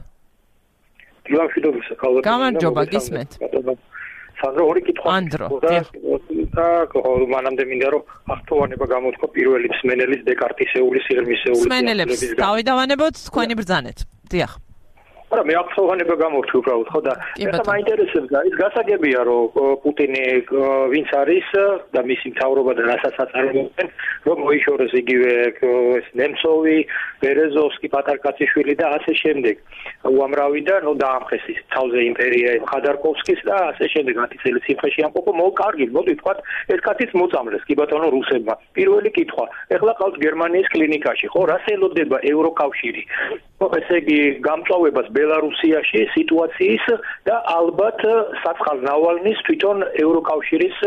დილამშვიდობის ქალბატონო. გამარჯობა გისმენთ. სანდრო ორი კითხვა. ანდრო. და მანამდე მინდა რომ ახტოვანება გამოთქვა პირველი მსმენელის დეკარტისეული სიღრმისეული მსმენელებს თავი დავანებოთ თქვენი ბრძანეთ. დიახ. არა მე ახტოვანება გამორჩი უბრალოდ ხო და ეს მაინტერესებდა ის გასაგებია რომ პუტინი ვინც არის და მისი მთავრობა და რასაც აწარმოებენ რომ მოიშორეს იგივე ეს ნემცოვი, ბერეზოვსკი, პატარკაციშვილი და ასე შემდეგ უამრავი და ნუ დაამხეს ის თავზე იმპერია ხადარკოვსკის და ასე შემდეგ 10 წელი სიმხეში ამყოფო კარგი მოდი თქვა ეს კაციც მოწამლეს კი ბატონო რუსებმა პირველი კითხვა ეხლა ყავთ გერმანიის კლინიკაში ხო რას ელოდება ევროკავშირი ესე იგი გამწვავებას ბელარუსიაში სიტუაციის და ალბათ საცხალ ნავალნის თვითონ ევროკავშირის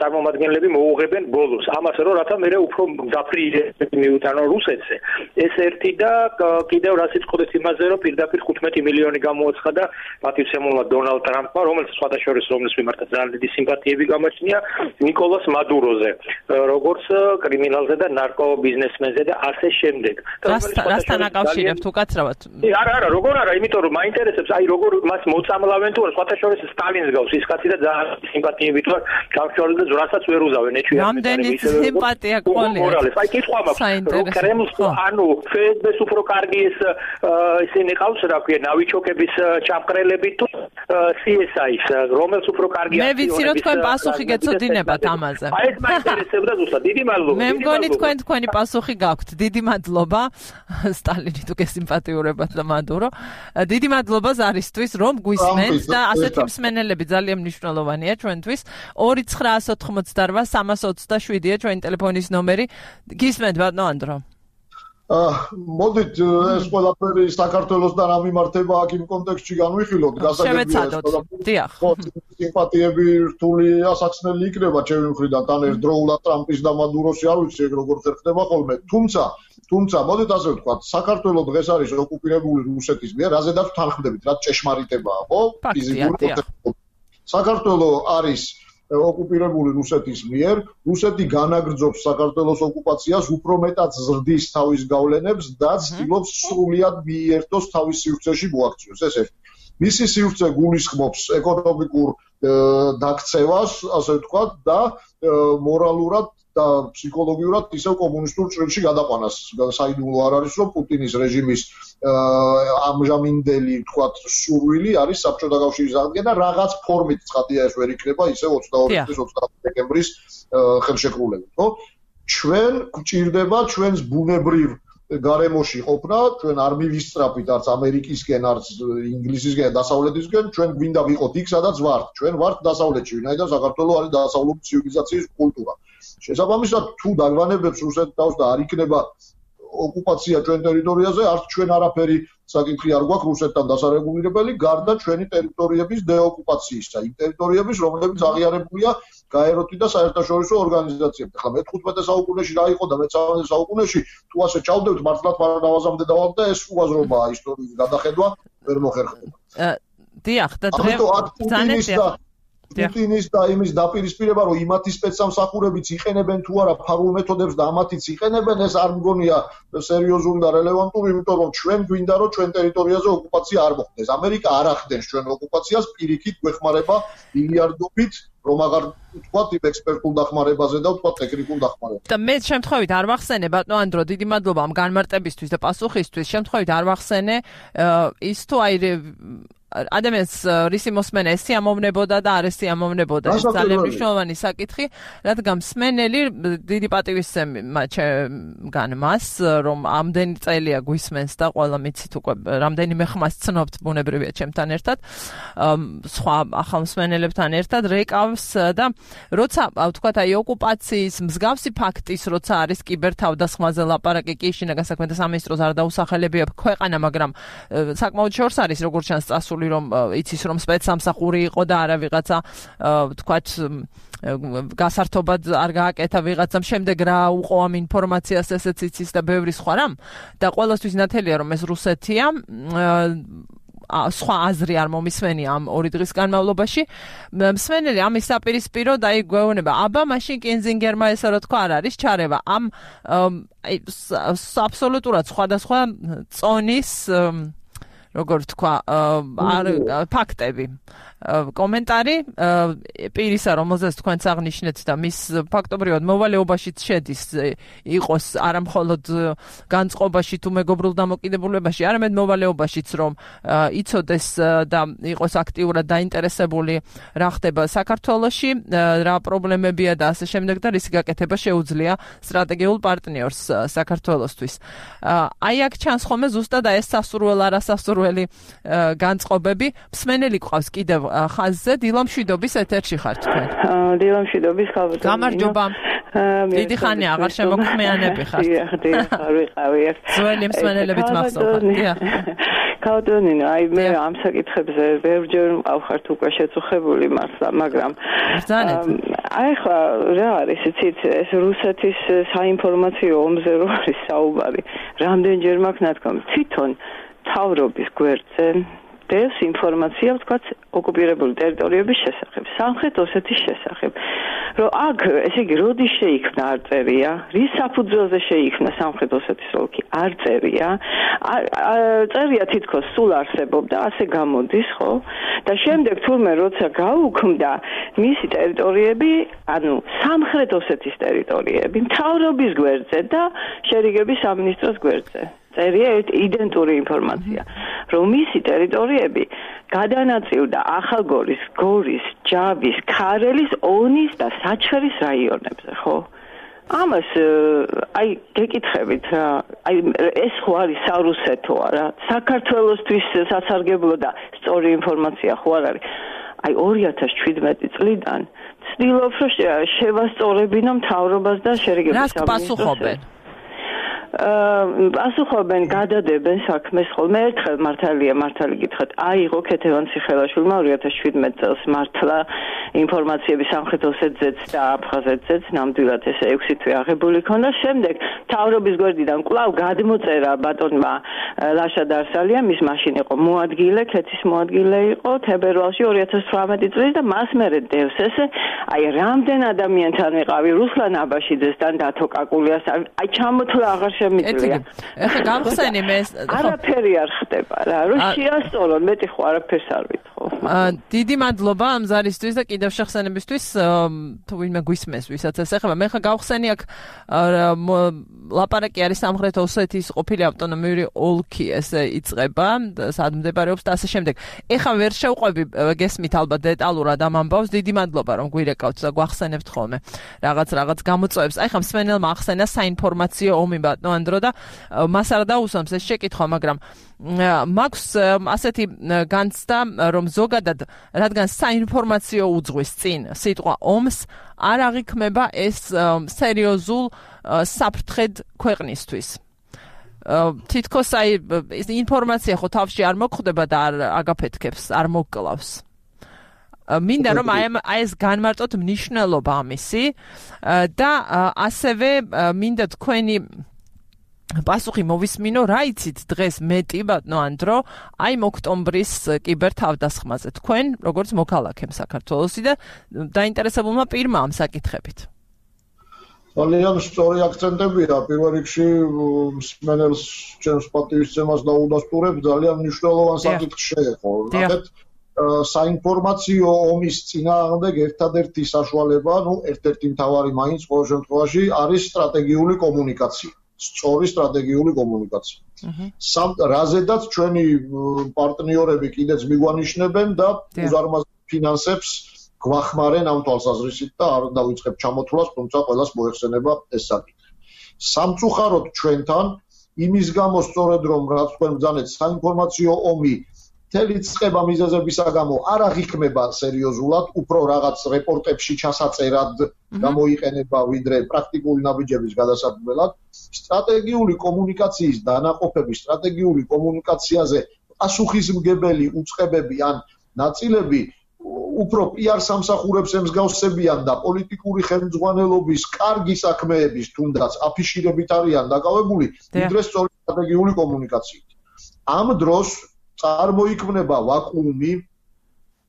წარმომადგენლები მოუღებენ ბოლოს ამას რომ რათა მე უფრო დაფრიირებენ მიუტანო რუსეთზე ეს ერთი და კიდევ რას იტყოდეთ იმაზე რომ პირდაპირ 15 მილიონი გამოაცხადა პატივცემულმა დონალდ ტრამპმა რომელიც სხვადასხვა რომლის მიმართაც ძალიან დიდი სიმპათიები გამოჩნია ნიკოლას მადუროზე როგორც კრიმინალზე და ნარკობიზნესმენზე და ასე შემდეგ რასთან აკავშირებთ უკაცრავად არა როგორ არა იმიტომ რომ მაინტერესებს აი როგორ მას მოწამლავენ თუ სხვადასხვა სტალინს გავს ის კაცი და ძალიან სიმპათიებით ვარ გავშორდა და ზრასაც ვერ უზავენ ეჩვია რამდენი სიმპათია გყოლია აი კითხვა მაქვს კრემლს ანუ ფსბ-ს უფრო კარგი ეს ისინი ყავს რა ქვია ნავიჩოკების ჩამყრელები თუ CSI-ს რომელს უფრო კარგი მე ვიცი რომ თქვენ პასუხი გეცოდინებათ ამაზე აი ეს მაინტერესებდა ზუსტად დიდი მადლობა მე მგონი თქვენი პასუხი გაქვთ დიდი მადლობა სტალინი თუ გესიმპათიურებათ და მადურო დიდი მადლობა ზარისთვის რომ გვისმენთ და ასეთი მსმენელები ძალიან მნიშვნელოვანია ჩვენთვის 2988327-ია ჩვენი ტელეფონის ნომერი გისმენთ ბატონო ანდრო მოდით ეს ყველაფერი საქართველოსთან ამიმართება აქ იმ კონტექსტში განვიხილოთ შევეცადოთ დიახ სიმპათიები რთული ასაცნელი იქნება ჩემი მხრიდან თან ერთდროულად ტრამპის და მადუროსი არ ვიცი ეგ როგორ ხერხდება ხოლმე თუმცა მოდით ასე ვთქვათ საქართველოს დღეს არის ოკუპირებული რუსეთის მიერ რაზედაც თანხმდებით რაც ჭეშმარიტებაა ხო ფიზიკური საქართველოს არის ოკუპირებული რუსეთის მიერ რუსეთი განაგრძობს საქართველოს ოკუპაციას უფრო მეტად ზრდის თავის გავლენებს და ცდილობს სრულად მიერთოს თავის სივრცეში მოაქციოს ეს ერთი მისი სივრცე გულისხმობს ეკონომიკურ დაქცევას ასე ვთქვათ და მორალურად და ფსიქოლოგიურად ისევ კომუნისტურ ჭრილში გადაყვანას საიდუმლო არ არის რომ პუტინის რეჟიმის ამჟამინდელი ვთქვათ სურვილი არის საბჭოთა კავშირის აღდგენა რაღაც ფორმით ცხადია ეს ვერ იქნება ისევ 22 დეკემბრის ხელშეკრულებით ხო ჩვენ გვჭირდება ჩვენს ბუნებრივ გარემოში ყოფნა ჩვენ არ მივისწრაფით არც ამერიკისკენ არც ინგლისისკენ დასავლეთისკენ ჩვენ გვინდა ვიყოთ იქ სადაც ვართ ჩვენ ვართ დასავლეთში ვინაიდან საქართველოს არის დასავლური ცივილიზაციის კულტურა შესაბამისად თუ დაგვანებებს რუსეთი თავს და არ იქნება ოკუპაცია ჩვენ ტერიტორიაზე არც ჩვენ არაფერი საკითხი არ გვაქვს რუსეთთან დასარეგულირებელი გარდა ჩვენი ტერიტორიების დეოკუპაციისა იმ ტერიტორიების რომლებიც აღიარებულია გაეროთი და საერთაშორისო ორგანიზაციებთან ახლა მე-15 საუკუნეში რა იყო და მე-13 საუკუნეში თუ ასე ჩავდებთ მართლაც პარანავაზამდე დავალთ და ეს უაზრობაა ისტორიის გადახედვა ვერ მოხერხდება დიახ და დღეს პუტინის და იმის დაპირისპირება, რომ იმათი სპეცსამსახურებიც იყენებენ თუ არა ფარულ მეთოდებს და ამათიც იყენებენ, ეს არ მგონია სერიოზული და რელევანტური, იმიტომ რომ ჩვენ გვინდა რომ ჩვენ ტერიტორიაზე ოკუპაცია არ მოხდეს. ამერიკა არ ახდენს ჩვენ ოკუპაციას, პირიქით გვეხმარება მილიარდობით, რომ აღარ ვთქვათ იმ ექსპერტულ დახმარებაზე და ვთქვათ ტექნიკურ დახმარებაზე. და მე შემთხვევით არ ვახსენე ბატონო ანდრო, დიდი მადლობა ამ განმარტებისთვის და პასუხისთვის. შემთხვევით არ ვახსენე ის თუ აი ადამიანს რისი მოსმენა ეს სიამოვნებოდა და არ სიამოვნებოდა. ეს ძალიან მნიშვნელოვანი საკითხი, რადგან მსმენელი დიდი პატივისცემა ჩემგან მას, რომ ამდენი წელია გვისმენს და ყველა მიცით უკვე რამდენიმე ხმას ცნობთ ბუნებრივია ჩემთან ერთად, სხვა ახალ მსმენელებთან ერთად რეკავს და როცა ვთქვათ აი ოკუპაციის მსგავსი ფაქტის როცა არის კიბერთავდასხმაზე ლაპარაკი კი შინაგან საქმეთა სამინისტროს არ დაუსახელებია ქვეყანა, მაგრამ საკმაოდ შორს არის როგორც ჩანს წასული რომ იცის რომ სპეცსამსახური იყო და არა ვიღაცა ვთქვათ გასართობად არ გააკეთა ვიღაცამ შემდეგ რა უყო ამ ინფორმაციას ესეც იცის და ბევრი სხვა რამ და ყველასთვის ნათელია რომ ეს რუსეთია სხვა აზრი არ მომისმენია ამ 2 დღის განმავლობაში მსმენელი ამის საპირისპირო და აი გვეუბნება აბა მაშინ კინზინგერმა ესა რა თქვა არ არის ჩარევა ამ აბსოლუტურად სხვადასხვა წონის როგორ თქვა ფაქტები კომენტარი პირისა რომელზეც თქვენც აღნიშნეთ და მის ფაქტობრივად მოვალეობაშიც შედის იყოს არა მხოლოდ განწყობაში თუ მეგობრულ დამოკიდებულებაში არამედ მოვალეობაშიც რომ იცოდეს და იყოს აქტიურად დაინტერესებული რა ხდება საქართველოში რა პრობლემებია და ასე შემდეგ და რის გაკეთება შეუძლია სტრატეგიულ პარტნიორს საქართველოსთვის აი აქ ჩანს ხოლმე ზუსტად ეს სასურველ არასასურველი განწყობები მსმენელი ყავს კიდევ ხაზზე დილამშვიდობის ეთერში ხართ თქვენ. დილამშვიდობის ხალხო. გამარჯობა. დიდი ხანი აღარ შემოქმიანები ხართ. ხარ ვიყავი. ძველი მსმენელებით მახსოვრთ. ქალბატონინო, აი მე ამ საკითხებზე ბევრჯერ მყავხართ უკვე შეწუხებული მართლა, მაგრამ აი ხა რა არის, იცით, ეს რუსეთის საინფორმაციო ომზე რო არის საუბარი. რამდენჯერ მაქვს ნათქვამი, თვითონ თავრობის გვერდზე დევს ინფორმაცია, ვთქვათ, ოკუპირებული ტერიტორიების შესახებ, სამხრეთ ოსეთის შესახებ. რომ აქ, ესე იგი, როდის შეიქმნა არ წერია, რის საფუძველზე შეიქმნა სამხრეთ ოსეთის ოლქი, არ წერია. წერია თითქოს სულ არსებობდა, ასე გამოდის, ხო? და შემდეგ თურმე როცა გაუქმდა მისი ტერიტორიები, ანუ სამხრეთ ოსეთის ტერიტორიები, მთავრობის გვერდზე და შერიგების სამინისტროს გვერდზე. წერია იდენტური ინფორმაცია, რომ მისი ტერიტორიები გადანაწილდა ახალგორის, გორის, ჯავის, ქარელის, ონის და საჩხერის რაიონებზე, ხო? ამას აი გეკითხებით რა, აი ეს ხო არის სარუსეთო არა? საქართველოსთვის სასარგებლო და სწორი ინფორმაცია ხო არ არის? აი 2017 წლიდან ცდილობ რომ შევასწორებინო მთავრობას და შერიგების სამინისტროს. პასუხობენ, გადადებენ საქმეს ხოლმე ერთხელ მართალი გითხრათ, აიღო ქეთევან ციხელაშვილმა 2017 წელს მართლა ინფორმაციები სამხრეთ ოსეთზეც და აფხაზეთზეც ნამდვილად ეს 6 თვე აღებული ქონდა. შემდეგ მთავრობის გვერდიდან კვლავ გადმოწერა ბატონმა ლაშა დარსალიამ, ის მაშინ იყო მოადგილე, ქეთის მოადგილე იყო თებერვალში 2018 წლის და მას მერე დევს ესე, აი რამდენ ადამიანთან ვიყავი რუსლან აბაშიძესთან დათო კაკულიასთან, აი ჩამოთვლა აღარ შემიძლია. ეხლა გამხსენი მე არაფერი არ ხდება რა, რომ შეასწორონ, მეტი ხო არაფერს არ ვითხოვ. დიდი მადლობა ამ ზარისთვის და კიდევ შეხსენებისთვის, თუ ვინმე გვისმენს, ვისაც ეს ეხება. მე ხა გავხსენი აქ ლაპარაკი არის სამხრეთ ოსეთის ყოფილი ავტონომიური ოლქი, ესე იწყება, სად მდებარეობს და ასე შემდეგ. ეხა ვერ შევყვები, გესმით ალბათ დეტალურად ამ ამბავს. დიდი მადლობა რომ გვირეკავთ და გვახსენებთ ხოლმე რაღაც გამოწვევებს. აი ხა მსმენელმა ახსენა საინფორმაციო ომი ბატონო ანდრო და მას არ დაუსვამს ეს შეკითხვა, მაგრამ მაქვს ასეთი განცდა, რომ ზოგადად რადგან საინფორმაციო უძღვის წინ სიტყვა ომს არ აღიქმება ეს სერიოზულ საფრთხედ ქვეყნისთვის. თითქოს აი ინფორმაცია ხო თავში არ მოხვდება და არ აგაფეთქებს, არ მოგკლავს. მინდა რომ აი ეს განმარტოთ მნიშვნელობა ამისი და ასევე მინდა თქვენი პასუხი მოვისმინო, რა იცით დღეს მეტი ბატონო ანდრო, აი ოქტომბრის კიბერთავდასხმაზე თქვენ, როგორც მოქალაქემ საქართველოსი და დაინტერესებულმა პირმა ამ საკითხებით. ძალიან სწორი აქცენტებია, პირველ რიგში მსმენელს ჩემს პატივისცემას დაუდასტურებ, ძალიან მნიშვნელოვან საკითხს შეეხო. ნახეთ, საინფორმაციო ომის წინააღმდეგ ერთადერთი საშუალება, ერთ-ერთი მთავარი მაინც ყოველ შემთხვევაში არის სტრატეგიული კომუნიკაცია. სწორი სტრატეგიული კომუნიკაცია. რაზედაც ჩვენი პარტნიორები კიდეც მიგვანიშნებენ და უზარმაზარ ფინანსებს გვახმარენ ამ თვალსაზრისით და არ დავიწყებ ჩამოთვლას, თუმცა ყველას მოეხსენება ეს საკითხი. სამწუხაროდ ჩვენთან იმის გამო სწორედ რომ რაც თქვენ ბრძანეთ საინფორმაციო ომი მთელი წყება მიზეზებისა გამო არ აღიქმება სერიოზულად, უფრო რაღაც რეპორტებში ჩასაწერად გამოიყენება ვიდრე პრაქტიკული ნაბიჯების გადასადგმელად. სტრატეგიული კომუნიკაციის დანაყოფები, სტრატეგიული კომუნიკაციაზე პასუხისმგებელი უწყებები ან ნაწილები უფრო PR სამსახურებს ემსგავსებიან და პოლიტიკური ხელმძღვანელობის კარგი საქმეების თუნდაც აფიშირებით არიან დაკავებული, ვიდრე სწორი სტრატეგიული კომუნიკაციით. ამ დროს წარმოიქმნება ვაკუუმი,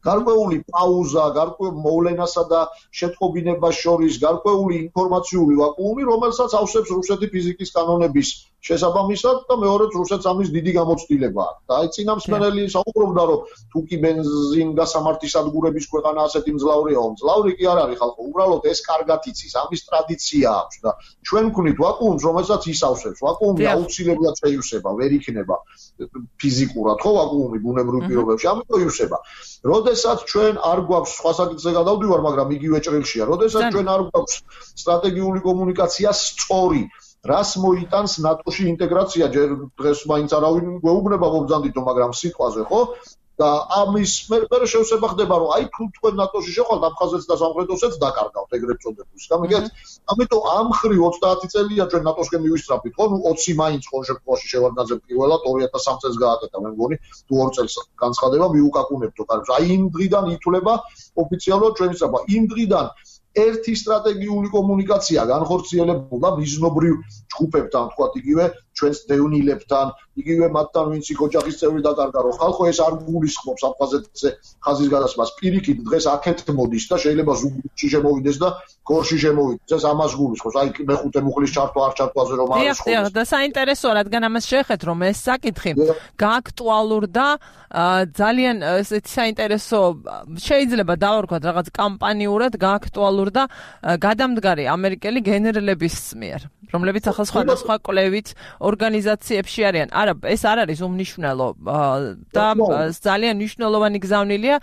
გარკვეული პაუზა, გარკვეული მოვლენასა და შეტყობინებას შორის გარკვეული ინფორმაციული ვაკუუმი, რომელსაც ავსებს რუსეთი ფიზიკის კანონების შესაბამისად და მეორეც რუსეთს ამის დიდი გამოცდილება აქვს. და აი წინა მსმენელი საუბრობდა, რომ თუ კი ბენზინგასამართის სადგურების ქვეყანა ასეთი მძლავრია, მძლავრი კი არ არის ხალხო, უბრალოდ ეს კარგად იცის, ამის ტრადიცია აქვს და ჩვენ ვქნით ვაკუუმს, რომელსაც ის ავსებს. ვაკუუმი აუცილებლად შეივსება, ვერ იქნება ფიზიკურად, ხო, ვაკუუმი ბუნებრივ პირობებში, ამიტომ ივსება. როდესაც ჩვენ არ გვაქვს სხვა საკითხზე გადავდივარ, მაგრამ იგივე ჭრილშია. როდესაც ჩვენ არ გვაქვს სტრატეგიული კომუნიკაცია სწორი, რას მოიტანს ნატოში ინტეგრაცია, ჯერ დღეს მაინც არავინ გვეუბნება მობრძანდითო, მაგრამ სიტყვაზე, ხო? და ამის მერე შევსება ხდება, რომ აი თუ თქვენ ნატოში შეხვდით, აფხაზეთს და სამხრეთ ოსეთს დაკარგავთ, ეგრეთ წოდებული. გამიგეთ? ამიტომ ამ ხრი 30 წელია ჩვენ ნატოსკენ მივისწრაფით, ხო? 20 მაინც ყოველ შემთხვევაში შევარდნაძემ პირველად 2003 წელს გააკეთა, მე მგონი, თუ 2 წელს განცხადება მიუკაკუნებთო, კარგს. აი იმ დღიდან ითვლება ოფიციალურად ჩვენი სწრაფა. იმ დღიდან ერთი სტრატეგიული კომუნიკაცია განხორციელებულა მიზნობრივ ჯგუფებთან, თქვათ იგივე ჩვენს დევნილებთან, იგივე მათთან, ვინც იქ ოჯახის წევრი დაკარგა, რომ ხალხო ეს არ გულისხმობს აფხაზეთზე ხაზის გადასმას. პირიქით დღეს აქეთ მოდის და შეიძლება ზუგდიდში შემოვიდეს და გორში შემოვიდეს. ეს ამას გულისხმობს. აი მეხუთე მუხლის ჩართვა არ ჩართვაზე რომ არის ხო? დიახ, და საინტერესოა, რადგან ამას შეხეთ, რომ ეს საკითხი გააქტუალურდა ძალიან ესეთი საინტერესო, შეიძლება დავარქვათ რაღაც კამპანიურად გააქტუალურდა გადამდგარი ამერიკელი გენერლების მიერ, რომლებიც ახლა სხვადასხვა კვლევით ორგანიზაციებში არიან. არა, ეს არ არის უმნიშვნელო და ძალიან მნიშვნელოვანი გზავნილია,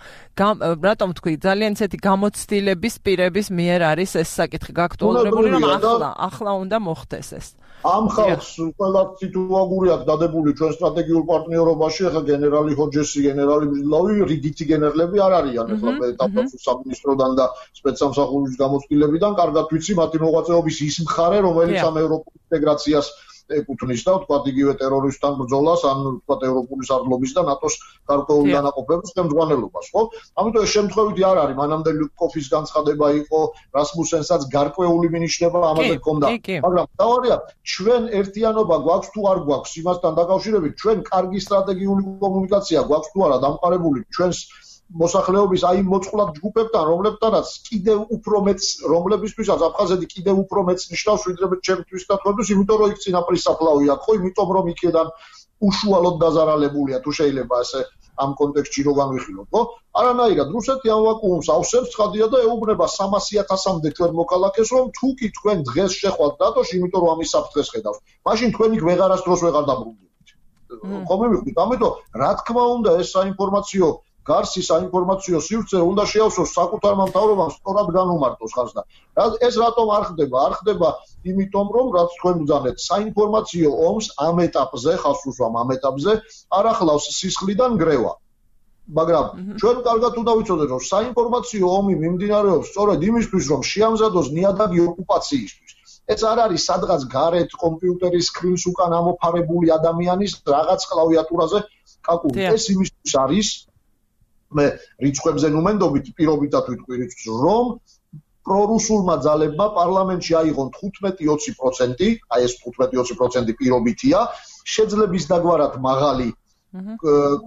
რატომ თქვი, ძალიან ისეთი გამოცდილების პირების მიერ არის ეს საკითხი გააქტუალურებული, რომ ახლა უნდა მოხდეს ეს. ამ ხალხს ყველა სიტუაგური აქვს დადებული ჩვენ სტრატეგიულ პარტნიორობაში, ახლა გენერალი ჰოჯესი, გენერალი ბრძლავი, რიგითი გენერლები არ არიან, ახლა დაფასულ სამინისტროდან და სპეცსამსახურის გამოცდილებიდან, კარგად ვიცი მათი მოღვაწეობის ის მხარე, რომელიც ამ ევროპულ ინტეგრაციას ეკუთვნის და თქვათ იგივე ტერორისტთან ბრძოლას, ან თქვათ ევროპული სარდლობის და ნატოს გარკვეულ დანაყოფების ხელმძღვანელობას, ხო? ამიტომ ეს შემთხვევითი არ არის, მანამდე ლუკოფის განცხადება იყო, რასმუსენსაც გარკვეული მინიშნება ამაზე ჰქონდა, მაგრამ თავარია, ჩვენ ერთიანობა გვაქვს თუ არ გვაქვს იმასთან დაკავშირებით, ჩვენ კარგი სტრატეგიული კომუნიკაცია გვაქვს თუ არა დამყარებული ჩვენს მოსახლეობის აი მოწყვლად ჯგუფებთან, რომლებთანაც კიდევ უფრო მეც, რომლებისთვისაც აფხაზეთი კიდევ უფრო მეც ნიშნავს, ვიდრე ჩემთვის და თქვენთვის, იმიტომ რომ იქ წინაპრის საფლავი აქვს, ხო, იმიტომ რომ იქიდან უშუალოდ დაზარალებულია, თუ შეიძლება ასე ამ კონტექსტში რო განვიხილოთ, ხო? არანაირად რუსეთი ამ ვაკუუმს ავსებს, ცხადია და ეუბნება 300,000-მდე ჩვენ მოქალაქეს, რომ თუ კი თქვენ დღეს შეხვდათ ნატოში, იმიტომ რომ ამის საფრთხეს ხედავს, მაშინ თქვენ იქ ვეღარასდროს ვეღარ დაბრუნდებით. ხომ მივხვდით? ამიტომ რა თქმა უნდა ეს საინფორმაციო გარსი საინფორმაციო სივრცე უნდა შეავსოს საკუთარმა მთავრობამ სწორად განუმარტოს ხაზს და ეს რატომ არ ხდება? არ ხდება იმიტომ რომ რაც თქვენ ბრძანეთ საინფორმაციო ომს ამ ეტაპზე, ხაზს უსვამ ამ ეტაპზე არ ახლავს სისხლიდან გრევა. მაგრამ ჩვენ კარგად უნდა ვიცოდეთ რომ საინფორმაციო ომი მიმდინარეობს სწორედ იმისთვის რომ შეამზადოს ნიადაგი ოკუპაციისთვის. ეს არ არის სადღაც გარეთ კომპიუტერის სკრინს უკან ამოფარებული ადამიანის რაღაც კლავიატურაზე კაკული. ეს იმისთვის არის მე რიცხვებზე ნუმენდობით პირობითად ვიტყვი რომ პრორუსულმა ძალებმა პარლამენტში აიღონ 15-20%, აი ეს 15-20% პირობითია, შეძლების დაგვარად მაღალი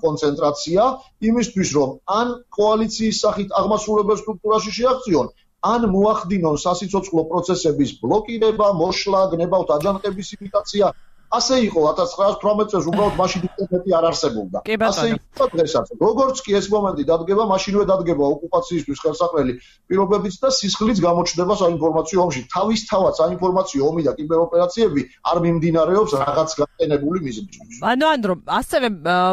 კონცენტრაცია იმისთვის, რომ ან კოალიციის სახით აღმასრულებელ სტრუქტურაში შეაღწიონ, ან მოახდინონ სასიცოცხლო პროცესების ბლოკირება, მოშლა, გნებავთ აჯანყების იმიტაცია. ასე იყო 1918 წელს უბრალოდ მაშინ ინტერნეტი არ არსებობდა. ასე იყო დღესაც. როგორც კი ეს მომენტი დადგება, მაშინვე დადგება ოკუპაციისთვის ხელსაყრელი პირობებიც და სისხლიც გამოჩნდება საინფორმაციო ომში. თავისთავად საინფორმაციო ომი და კიბეროპერაციები არ მიმდინარეობს რაღაც გატენებული მიზნით. ანუ ასევე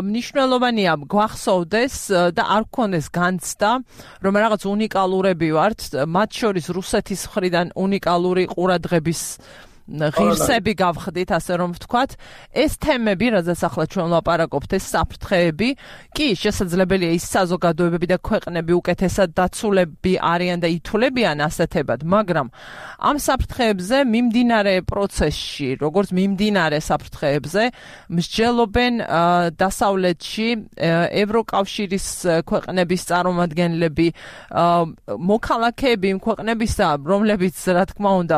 მნიშვნელოვანია გვახსოვდეს და არ გქონდეს განცდა, რომ რაღაც უნიკალურები ვართ, მათ შორის რუსეთის მხრიდან უნიკალური ყურადღების ღირსები გავხდით, ასე რომ ვთქვათ, ეს თემები, რაზეც ახლა ჩვენ ვლაპარაკობთ, ეს საფრთხეები, კი შესაძლებელია ის საზოგადოებები და ქვეყნები უკეთესად დაცულები არიან და ითვლებიან ასეთებად, მაგრამ ამ საფრთხეებზე მიმდინარე პროცესში, როგორც მიმდინარე საფრთხეებზე, მსჯელობენ დასავლეთში ევროკავშირის ქვეყნების წარმომადგენლები, მოქალაქეები იმ ქვეყნებისა, რომლებიც, რა თქმა უნდა,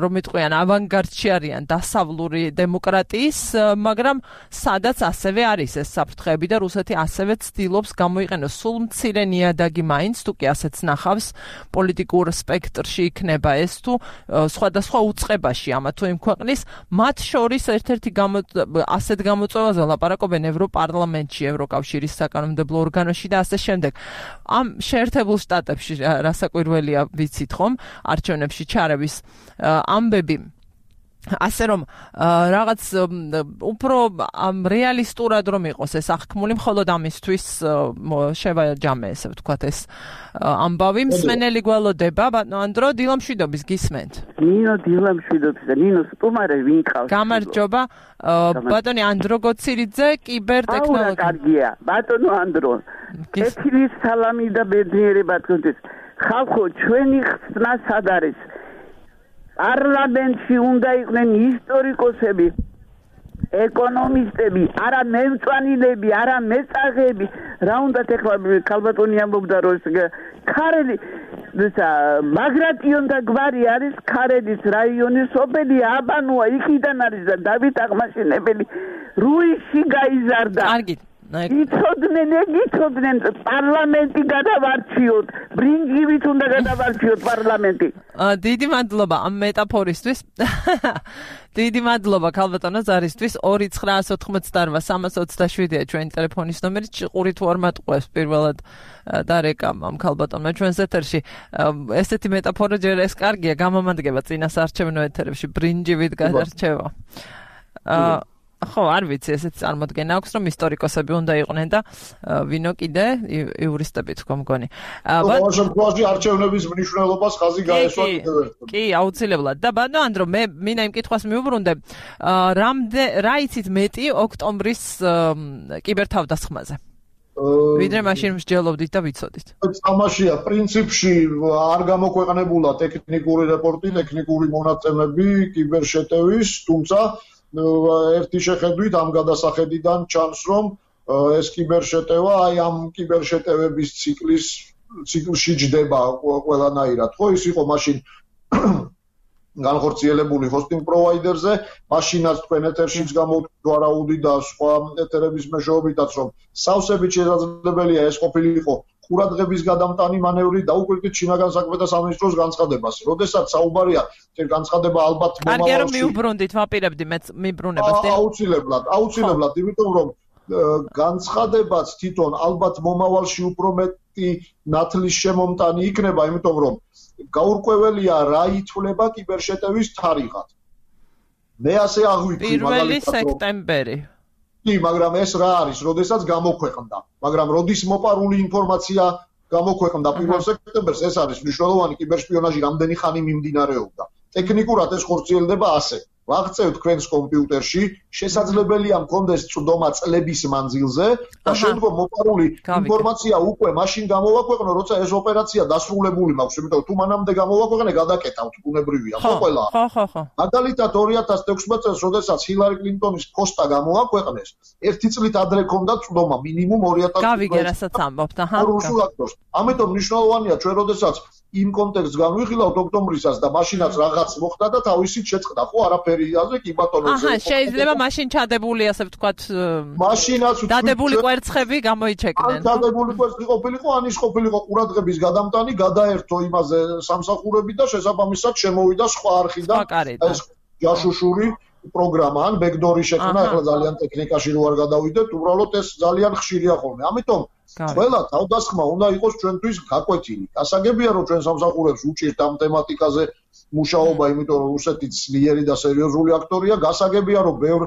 რომ იტყვიან ავანგარდში არიან დასავლური დემოკრატიის, მაგრამ სადაც ასევე არის ეს საფრთხეები და რუსეთი ასევე ცდილობს გამოიყენოს სულ მცირე ნიადაგი მაინც, თუ კი ასეც ნახავს, პოლიტიკურ სპექტრში იქნება ეს თუ სხვადასხვა უწყებაში ამა თუ იმ ქვეყნის, მათ შორის ერთ-ერთი ასეთ გამოწვევაზე ლაპარაკობენ ევროპარლამენტში, ევროკავშირის საკანონმდებლო ორგანოში და ასე შემდეგ. ამ შეერთებულ შტატებში რასაკვირველია ვიცით ხომ, არჩევნებში ჩარევის ამბები ასე რომ რაღაც უფრო რეალისტურად რომ იყოს ეს აღქმული, მხოლოდ ამისთვის შევაჯამე, ესე ვთქვათ, ეს ამბავი. მსმენელი გველოდება, ბატონო ანდრო, დილამშვიდობის გისმენთ. ნინო დილამშვიდობის და ნინო სტუმარე ვინ ყავს? გამარჯობა, ბატონი ანდრო გოცირიძე, კიბერთექნოლოგი. კარგია, ბატონო ანდრო. ეთირის სალამი და ბედნიერება თქვენთვის. ხალხო, ჩვენი ხსნა სად არის? პარლამენტში უნდა იყვნენ ისტორიკოსები, ეკონომისტები, არა მემწვანილები, არა მეწაღეები. რა უნდათ ეხლა ქალბატონი ამბობდა, რომ ქარელი მაგრატიონთა გვარი არის ქარელის რაიონის სოფელი აბანოა, იქიდან არის და დავით აღმაშენებელი რუისში გაიზარდა. კარგი. იცოდნენ პარლამენტი გადავარჩიოთ, ბრინჯივით უნდა გადავარჩიოთ პარლამენტი. დიდი მადლობა ამ მეტაფორისთვის. დიდი მადლობა ქალბატონო ზარისთვის. 29988-327-ია ჩვენი ტელეფონის ნომერი. ჭყური თუ არ მატყუებს პირველად დარეკამ ამ ქალბატონმა ჩვენს ეთერში. ესეთი მეტაფორა ჯერ ეს კარგია, გამომადგება წინას არჩევნო ეთერებში ბრინჯივით გადარჩევა. ხო, არ ვიცი, ესეთი წარმოდგენა აქვს, რომ ისტორიკოსები უნდა იყვნენ და ვინო კიდე იურისტები თქო მგონი. ყოველ შემთხვევაში არჩევნების მნიშვნელობას ხაზი გაესვა კიდევ ერთხელ. კი, აუცილებლად. და ბატონო ანდრო, მე მინდა იმ კითხვას მიუბრუნდე, რა იცით მეტი ოქტომბრის კიბერთავდასხმაზე? ვიდრე მაშინ მსჯელობდით და ვიცოდით. თამაშია, პრინციპში არ გამოქვეყნებულა ტექნიკური რეპორტი, ტექნიკური მონაცემები კიბერშეტევის, თუმცა ერთი შეხედვით ამ გადასახედიდან ჩანს, რომ ეს კიბერშეტევა აი ამ კიბერშეტევების ციკლში ჯდება ყველანაირად. ხო, ის იყო მაშინ განხორციელებული hosting provider-ზე, მაშინაც თქვენ ეთერშიც გამოვარაუდით და სხვა ეთერების მეშვეობითაც, რომ სავსებით შესაძლებელია ეს ყოფილიყო ყურადღების გადამტანი მანევრი და უკვე შინაგან საქმეთა სამინისტროს განცხადებას. როდესაც საუბარია, ეს განცხადება ალბათ მომავალში. კარგია რომ მიუბრუნდით, ვაპირებდი მეც მიბრუნებას. აუცილებლად, იმიტომ რომ განცხადებაც თვითონ ალბათ მომავალში უფრო მეტი ნათლის შემომტანი იქნება, იმიტომ რომ გაურკვეველია რა ითვლება კიბერშეტევის თარიღად. მე ასე აღვიქვი მაგალითად 1 სექტემბერი. კი, მაგრამ ეს რა არის, როდესაც გამოქვეყნდა. მაგრამ როდის მოპარული ინფორმაცია გამოქვეყნდა 1 სექტემბერს, ეს არის მნიშვნელოვანი კიბერსპიონაჟი რამდენი ხანი მიმდინარეობდა. ტექნიკურად ეს ხორციელდება ასე. ვაღწევთ თქვენს კომპიუტერში, შესაძლებელია მქონდეს წვდომა წლების მანძილზე და შემდგომ მოპარული ინფორმაცია უკვე მაშინ გამოვაქვეყნო, როცა ეს ოპერაცია დასრულებული მაქვს, იმიტომ რომ თუ მანამდე გამოვაქვეყნე, გადაკეთავთ, ბუნებრივია, ყველა. ხო. მაგალითად 2016 წელს, როდესაც ჰილარი კლინტონის პოსტა გამოაქვეყნეს, ერთი წლით ადრე ჰქონდა წვდომა მინიმუმ 2000. გავიგე, რასაც ამბობთ, რუსულ აქტორს. ამიტომ მნიშვნელოვანია ჩვენ როდესაც იმ კონტექსტს განვიხილავთ ოქტომბრისას და მაშინაც რაღაც მოხდა და თავისით შეწყდა, ხო, არაფერი აზე კი ბატონო. შეიძლება მაშინ ჩადებული, ასე ვთქვათ, მაშინაც დადებული კვერცხები გამოიჩეკნენ. დადებული კვერცხი ყოფილიყო, ან ის ყოფილიყო ყურადღების გადამტანი, გადაერთო იმაზე სამსახურები და შესაბამისად შემოვიდა სხვა არხიდან ეს ჯაშუშური პროგრამა, ან ბექდორი შექმნა, ახლა ძალიან ტექნიკაში რო არ გადავიდეთ, უბრალოდ ეს ძალიან ხშირია ხოლმე. ამიტომ ყველა თავდასხმა უნდა იყოს ჩვენთვის გაკვეთილი. გასაგებია, რომ ჩვენ სამსახურებს უჭირთ ამ თემატიკაზე მუშაობა, იმიტომ რომ რუსეთი ძლიერი და სერიოზული აქტორია. გასაგებია, რომ ბევრ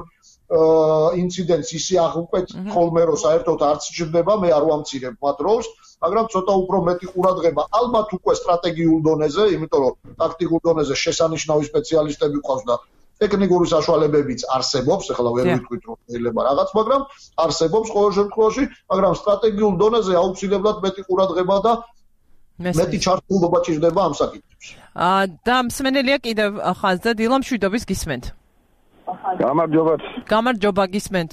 ინციდენტს ისე აღუკვეთ ხოლმე, რომ საერთოდ არც ჩნდება, მე არ ვამცირებ მათ როლს, მაგრამ ცოტა უფრო მეტი ყურადღება ალბათ უკვე სტრატეგიულ დონეზე, იმიტომ რომ ტაქტიკურ დონეზე შესანიშნავი სპეციალისტები ყავს და ტექნიკური საშუალებებიც არსებობს, ახლა ვერ ვიტყვით რომ შეიძლება რაღაც, მაგრამ არსებობს ყოველ შემთხვევაში, მაგრამ სტრატეგიულ დონეზე აუცილებლად მეტი ყურადღება და მეტი ჩართულობა ჭირდება ამ საკითხებში. და მსმენელია კიდევ ხაზზე დილა მშვიდობის გისმენთ. გამარჯობა გისმენთ.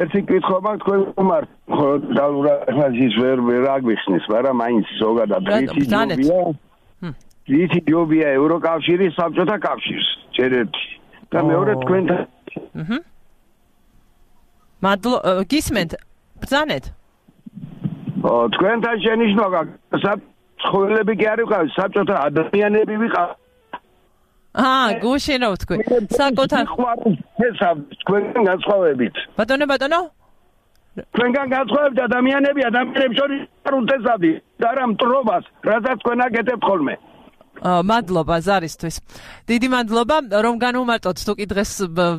ერთი კითხვა მაქვს თქვენ უმარ დალურახმაზის ვერ აგვიხსნის, მაგრამ მაინც ზოგადად რითი ჯობია ევროკავშირის საბჭოთა კავშირს ჯერ ერთი და მეორე თქვენთან გისმენთ ბრძანეთ თქვენთან შენიშნვა ცხოველები კი არ ვიყავით საბჭოთა ადამიანები ვიყავით გუშინო თქვენ საკუთარ თქვენგან განსხვავებით ბატონო თქვენგან განსხვავებით ადამიანებს შორის არ უთესავდი და რა მტრობას რასაც თქვენ აკეთებთ ხოლმე მადლობა ზარისთვის. დიდი მადლობა რომ განუმარტოთ თუ კი დღეს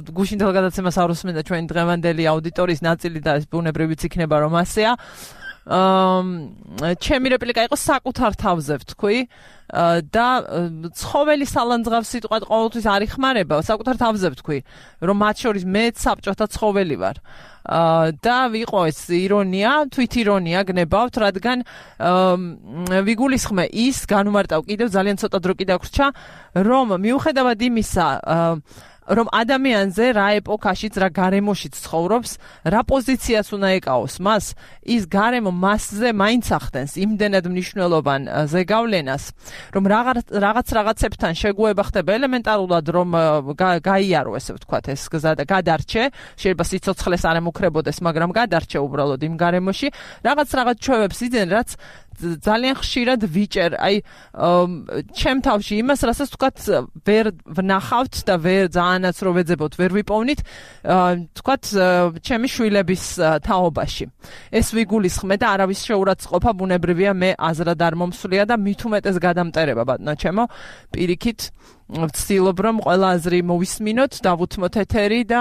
გუშინდელ გადაცემას არ უსმენდა ჩვენი დღევანდელი აუდიტორიის ნაწილი და ეს ბუნებრივიც იქნება რომ ასეა. ჩემი რეპლიკა იყო საკუთარ თავზე ვთქვი და ცხოველი სალანძღავს სიტყვად ყოველთვის არ იხმარება, საკუთარ თავზე ვთქვი, რომ მათ შორის მეც საბჭოთა ცხოველი ვარ. და ვიყო ეს ირონია, თვითირონია გნებავთ, რადგან ვიგულისხმე ის განუმარტავ კიდევ ძალიან ცოტა დრო კიდე გვრჩა, რომ მიუხედავად იმისა, რომ ადამიანზე რა ეპოქაშიც, რა გარემოშიც ცხოვრობს, რა პოზიციას უნდა ეკავოს მას, ის გარემო მასზე მაინც ახდენს იმდენად მნიშვნელოვან ზეგავლენას, რომ რაღაცებთან შეგუება ხდება ელემენტარულად, რომ გაიარო, ესე ვთქვათ, ეს გზა და გადარჩე, შეიძლება სიცოცხლეს არ ემუქრებოდეს, მაგრამ გადარჩე უბრალოდ იმ გარემოში, რაღაც ჩვევებს იძენ, რაც ძალიან ხშირად ვიჭერ, აი ჩემ თავში იმას, რასაც ვთქვათ, ვერ ვნახავთ და ვერ ძალიანაც რო ვეძებოთ, ვერ ვიპოვნით, ვთქვათ, ჩემი შვილების თაობაში. ეს ვიგულისხმე და არავის შეურაცხყოფა ბუნებრივია, მე აზრად არ მომსვლია და მით უმეტეს გადამტერება, ბატონო ჩემო, პირიქით ვცდილობ რომ ყველა აზრი მოვისმინოთ, დავუთმოთ ეთერი და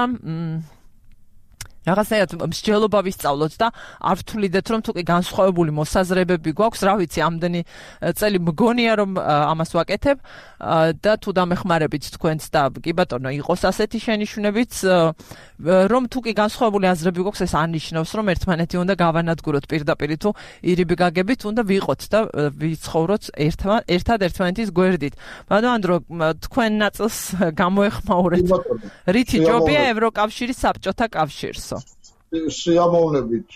რაღაცნაირად მსჯელობა ვისწავლოთ და არ ვთვლიდეთ რომ თუკი განსხვავებული მოსაზრებები გვაქვს, რა ვიცი, ამდენი წელი მგონია რომ ამას ვაკეთებ და თუ დამეხმარებით თქვენც და კი ბატონო იყოს ასეთი შენიშვნებიც, რომ თუკი განსხვავებული აზრები გვაქვს, ეს არნიშნავს რომ ერთმანეთი უნდა გავანადგუროთ პირდაპირ თუ ირიბი გაგებით, უნდა ვიყოთ და ვიცხოვროთ ერთად ერთმანეთის გვერდით. ბატონო, თქვენ ნაწილს გამოეხმაურეთ. რითი ჯობია ევროკავშირის საბჭოთა კავშირს? სიამოვნებით,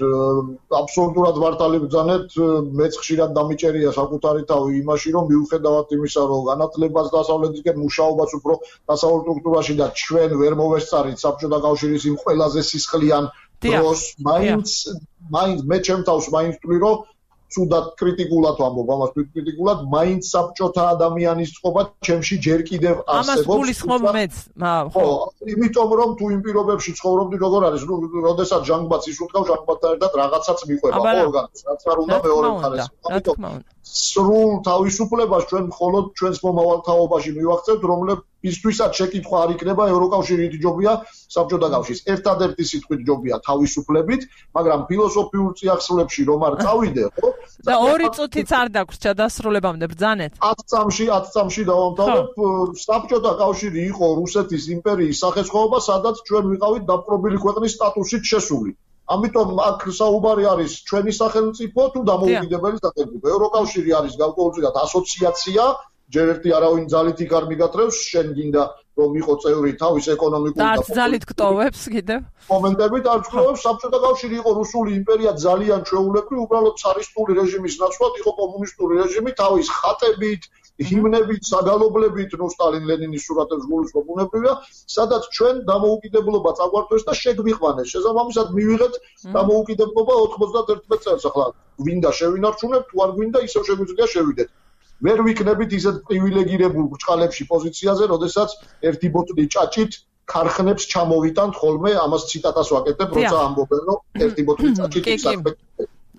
აბსოლუტურად მართალი ბრძანეთ, მეც ხშირად დამიჭერია საკუთარი თავი იმაში, რომ მიუხედავად იმისა, რომ განათლებას დასავლეთისკენ მუშაობას უფრო დასავლურ სტრუქტურაში და ჩვენ ვერ მოვესწარით საბჭოთა კავშირის იმ ყველაზე სისხლიან დროს, მაინც მე ჩემ თავს მაინც ვთვლი, რომ ცუდად კრიტიკულად ვამბობ, ამას კრიტიკულად, მაინც საბჭოთა ადამიანის წყობა ჩემში ჯერ კიდევ არსებობს. ამას გულისხმობ მეც, ხო, იმიტომ რომ თუ იმ პირობებში ცხოვრობდი, როგორ არის, როდესაც ჟანგბადს ისურთხავ, ჟანგბადთან ერთად რაღაცაც მიყვება, ხო, ორგანიზმს, რაც არ უნდა მეორე მხარეს. ამიტომ სრულ თავისუფლებას ჩვენ მხოლოდ ჩვენს მომავალ თაობაში მივახცევთ, ისთვისაც შეკითხვა არ იქნება ევროკავშირით ჯობია საბჭოთა კავშირის. ერთადერთი სიტყვით ჯობია თავისუფლებით, მაგრამ ფილოსოფიურ წიაღსვლებში რომ არ წავიდე, ხო? და 2 წუთიც არ დაგვრჩა დასრულებამდე ბრძანეთ. 10 წამში დავამთავრებ. საბჭოთა კავშირი იყო რუსეთის იმპერიის სახესხვაობა, სადაც ჩვენ ვიყავით დაპყრობილი ქვეყნის სტატუსით შესული. ამიტომ აქ საუბარი არის ჩვენი სახელმწიფო თუ დამოუკიდებელი სახელმწიფო. ევროკავშირი არის გარკვეულწილად ასოციაცია, ჯერ ერთი არავინ ძალით იქ არ მიგატრევს, შენ გინდა რომ იყო წევრი თავის ეკონომიკური და ძალით გტოვებს კიდევ. მომენტებით არ ვწლოვებს, საბჭოთა კავშირი იყო რუსული იმპერია ძალიან ჩვეულებრივი, უბრალოდ цаრისტული რეჟიმის ნაცვლად იყო კომუნისტური რეჟიმი თავის ხატებით, ჰიმნებით, საგალობლებით, ნუ სტალინ ლენინის სურათებს გულისხმობ უნებრივია, სადაც ჩვენ დამოუკიდებლობა წაგვართვეს და შეგვიყვანეს. შესაბამისად მივიღეთ დამოუკიდებლობა 91 წელს. ახლა გვინდა შევინარჩუნებთ, თუ არ გვინდა ისევ შეგვიძლია შევიდეთ. ვერ ვიქნებით ისეთ პრივილეგირებულ ბრჭყალებში პოზიციაზე, როდესაც ერთი ბოტნი ჭაჭით ქარხნებს ჩამოვიტანთ ხოლმე, ამას ციტატას ვაკეთებ, როცა ამბობენ, რომ ერთი ბოტნი ჭაჭით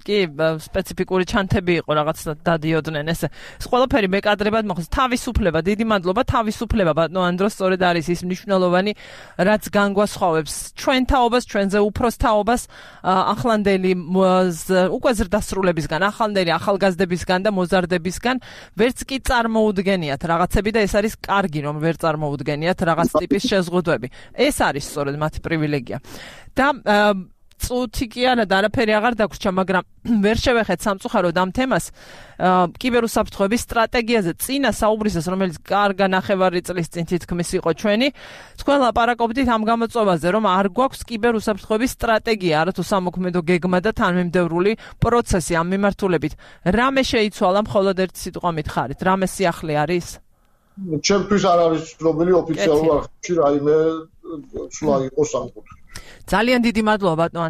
კი, სპეციფიკური ჩანთები იყო რაღაც დადიოდნენ ესე. ყველაფერი მეკადრებად მოხდეს. თავისუფლება, დიდი მადლობა, თავისუფლება ბატონო ანდრო, სწორედ არის ის მნიშვნელოვანი, რაც განგვასხვავებს ჩვენ თაობას, ჩვენზე უფროს თაობას, ახლანდელი უკვე ზრდასრულებისგან, ახლანდელი ახალგაზრდებისგან და მოზარდებისგან, ვერც კი წარმოუდგენიათ რაღაცები და ეს არის კარგი, რომ ვერ წარმოუდგენიათ რაღაც ტიპის შეზღუდვები. ეს არის სწორედ მათი პრივილეგია. და წუთი კი არა და არაფერი აღარ დაგვრჩა, მაგრამ ვერ შევეხეთ სამწუხაროდ ამ თემას კიბერუსაფრთხოების სტრატეგიაზე წინა საუბრისას, რომელიც კარგა ნახევარი წლის წინ თითქმის იყო ჩვენი. თქვენ ლაპარაკობდით ამ გამოწვევაზე, რომ არ გვაქვს კიბერუსაფრთხოების სტრატეგია, არათუ სამოქმედო გეგმა და თანმიმდევრული პროცესი ამ მიმართულებით. რამე შეიცვალა, მხოლოდ ერთი სიტყვა მითხარით, რამე სიახლე არის? ჩემთვის არ არის ცნობილი ოფიციალურ არხებში რაიმე ცვლა იყოს ამ კუთხით. ძალიან დიდი მადლობა ბატონო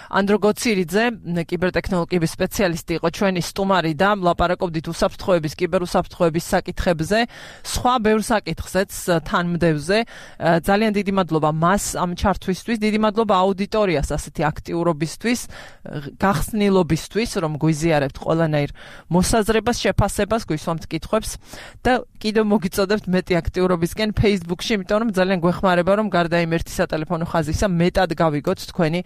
ანდრო გოცირიძე, კიბერტექნოლოგიების სპეციალისტი იყო ჩვენი სტუმარი და ლაპარაკობდით უსაფრთხოების, კიბერუსაფრთხოების საკითხებზე, სხვა ბევრ საკითხზეც თანმდევზე. ძალიან დიდი მადლობა მას ამ ჩართვისთვის, დიდი მადლობა აუდიტორიას ასეთი აქტიურობისთვის, გახსნილობისთვის, რომ გვიზიარებთ ყველანაირ მოსაზრებას, შეფასებას, გვისვამთ კითხვებს და კიდევ მოგიწოდებთ მეტი აქტიურობისკენ Facebook-ში, იმიტომ რომ ძალიან გვეხმარება, რომ გარდა იმ ერთი სატელეფონო ხაზისა მეტად გავიგოთ თქვენი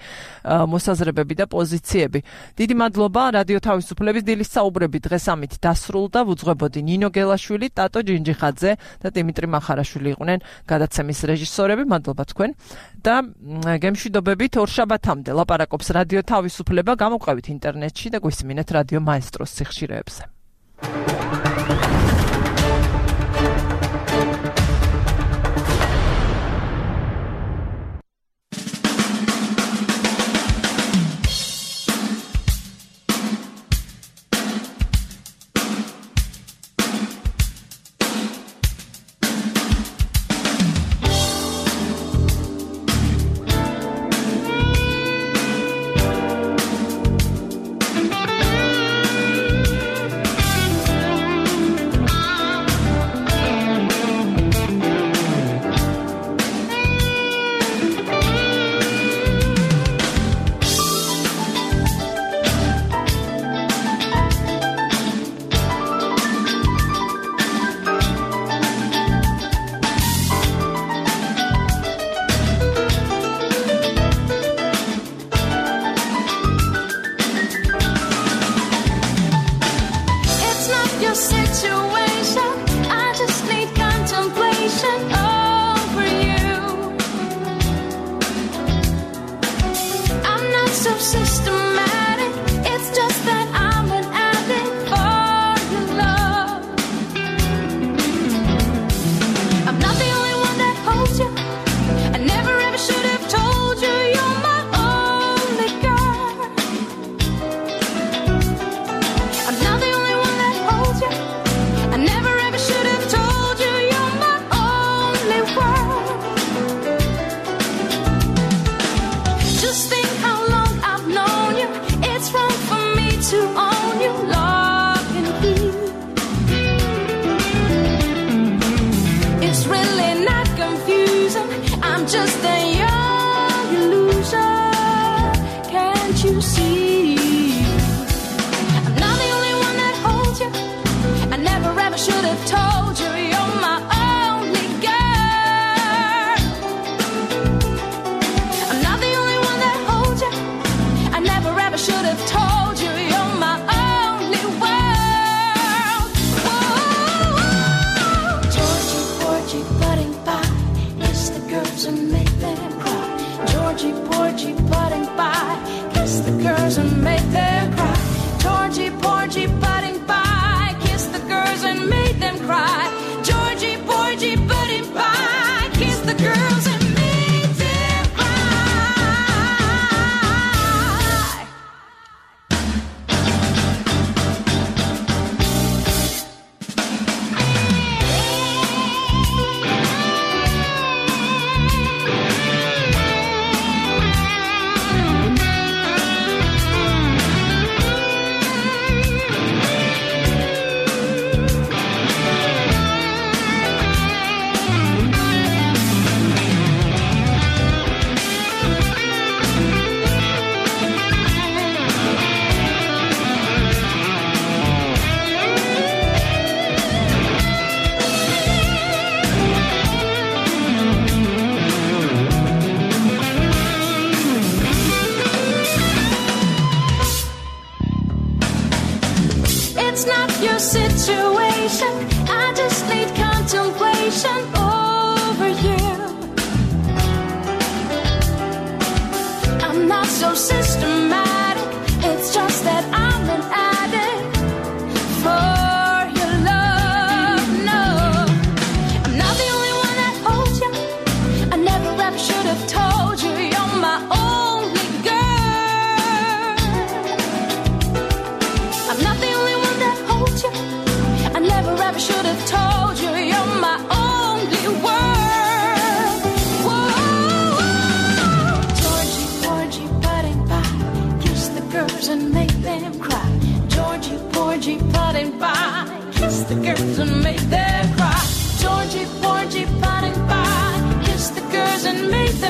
მოსაზრებები და პოზიციები. დიდი მადლობა რადიო თავისუფლების დილის საუბრები დღეს ამით დასრულდა. ვუძღვებოდი ნინო გელაშვილი, ტატო ჯინჯიხაძე და დიმიტრი მახარაშვილი იყვნენ გადაცემის რეჟისორები. მადლობა თქვენ და გემშვიდობებით ორშაბათამდე ლაპარაკობს რადიო თავისუფლება. გამოყვებით ინტერნეტში და გვისმინეთ რადიო მაესტროს სიხშირეებზე.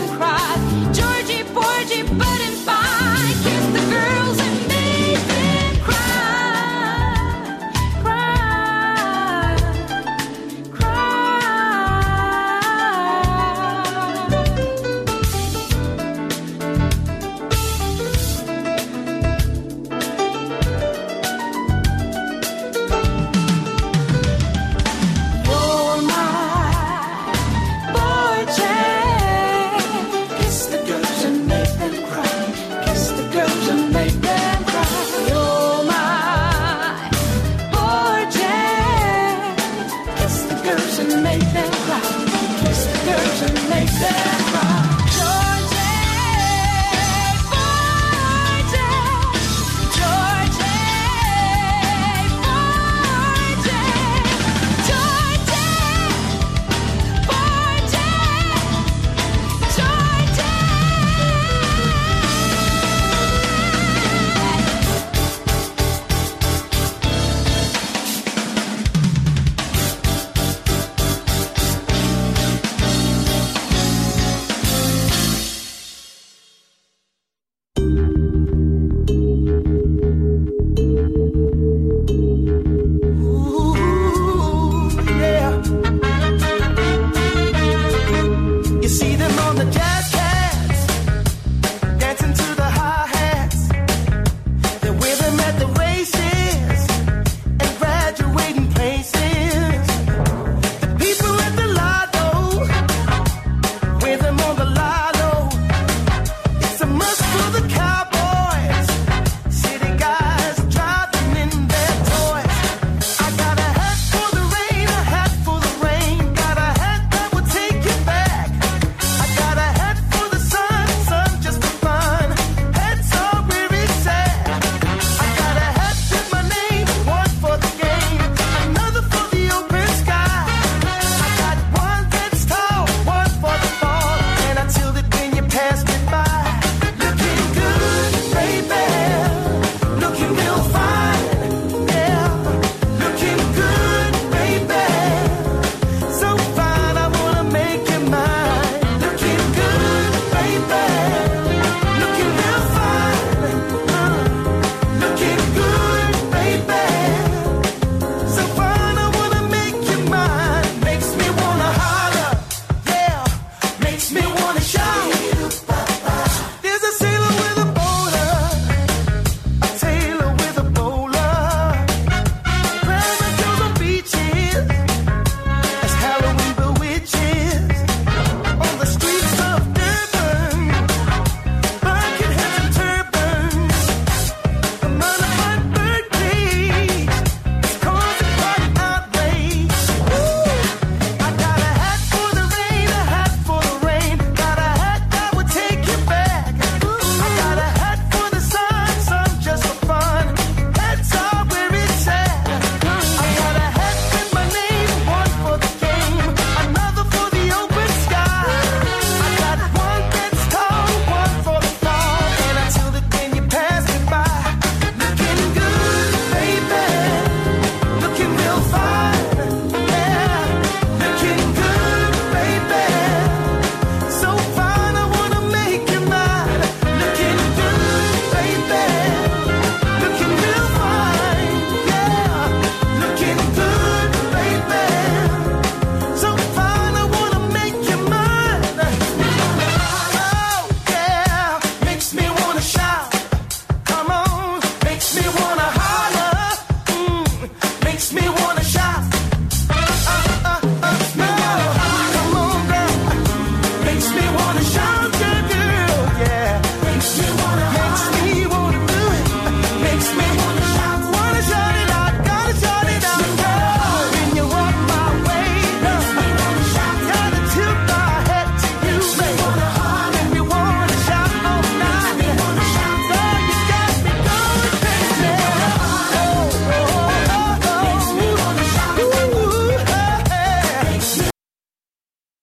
and cry.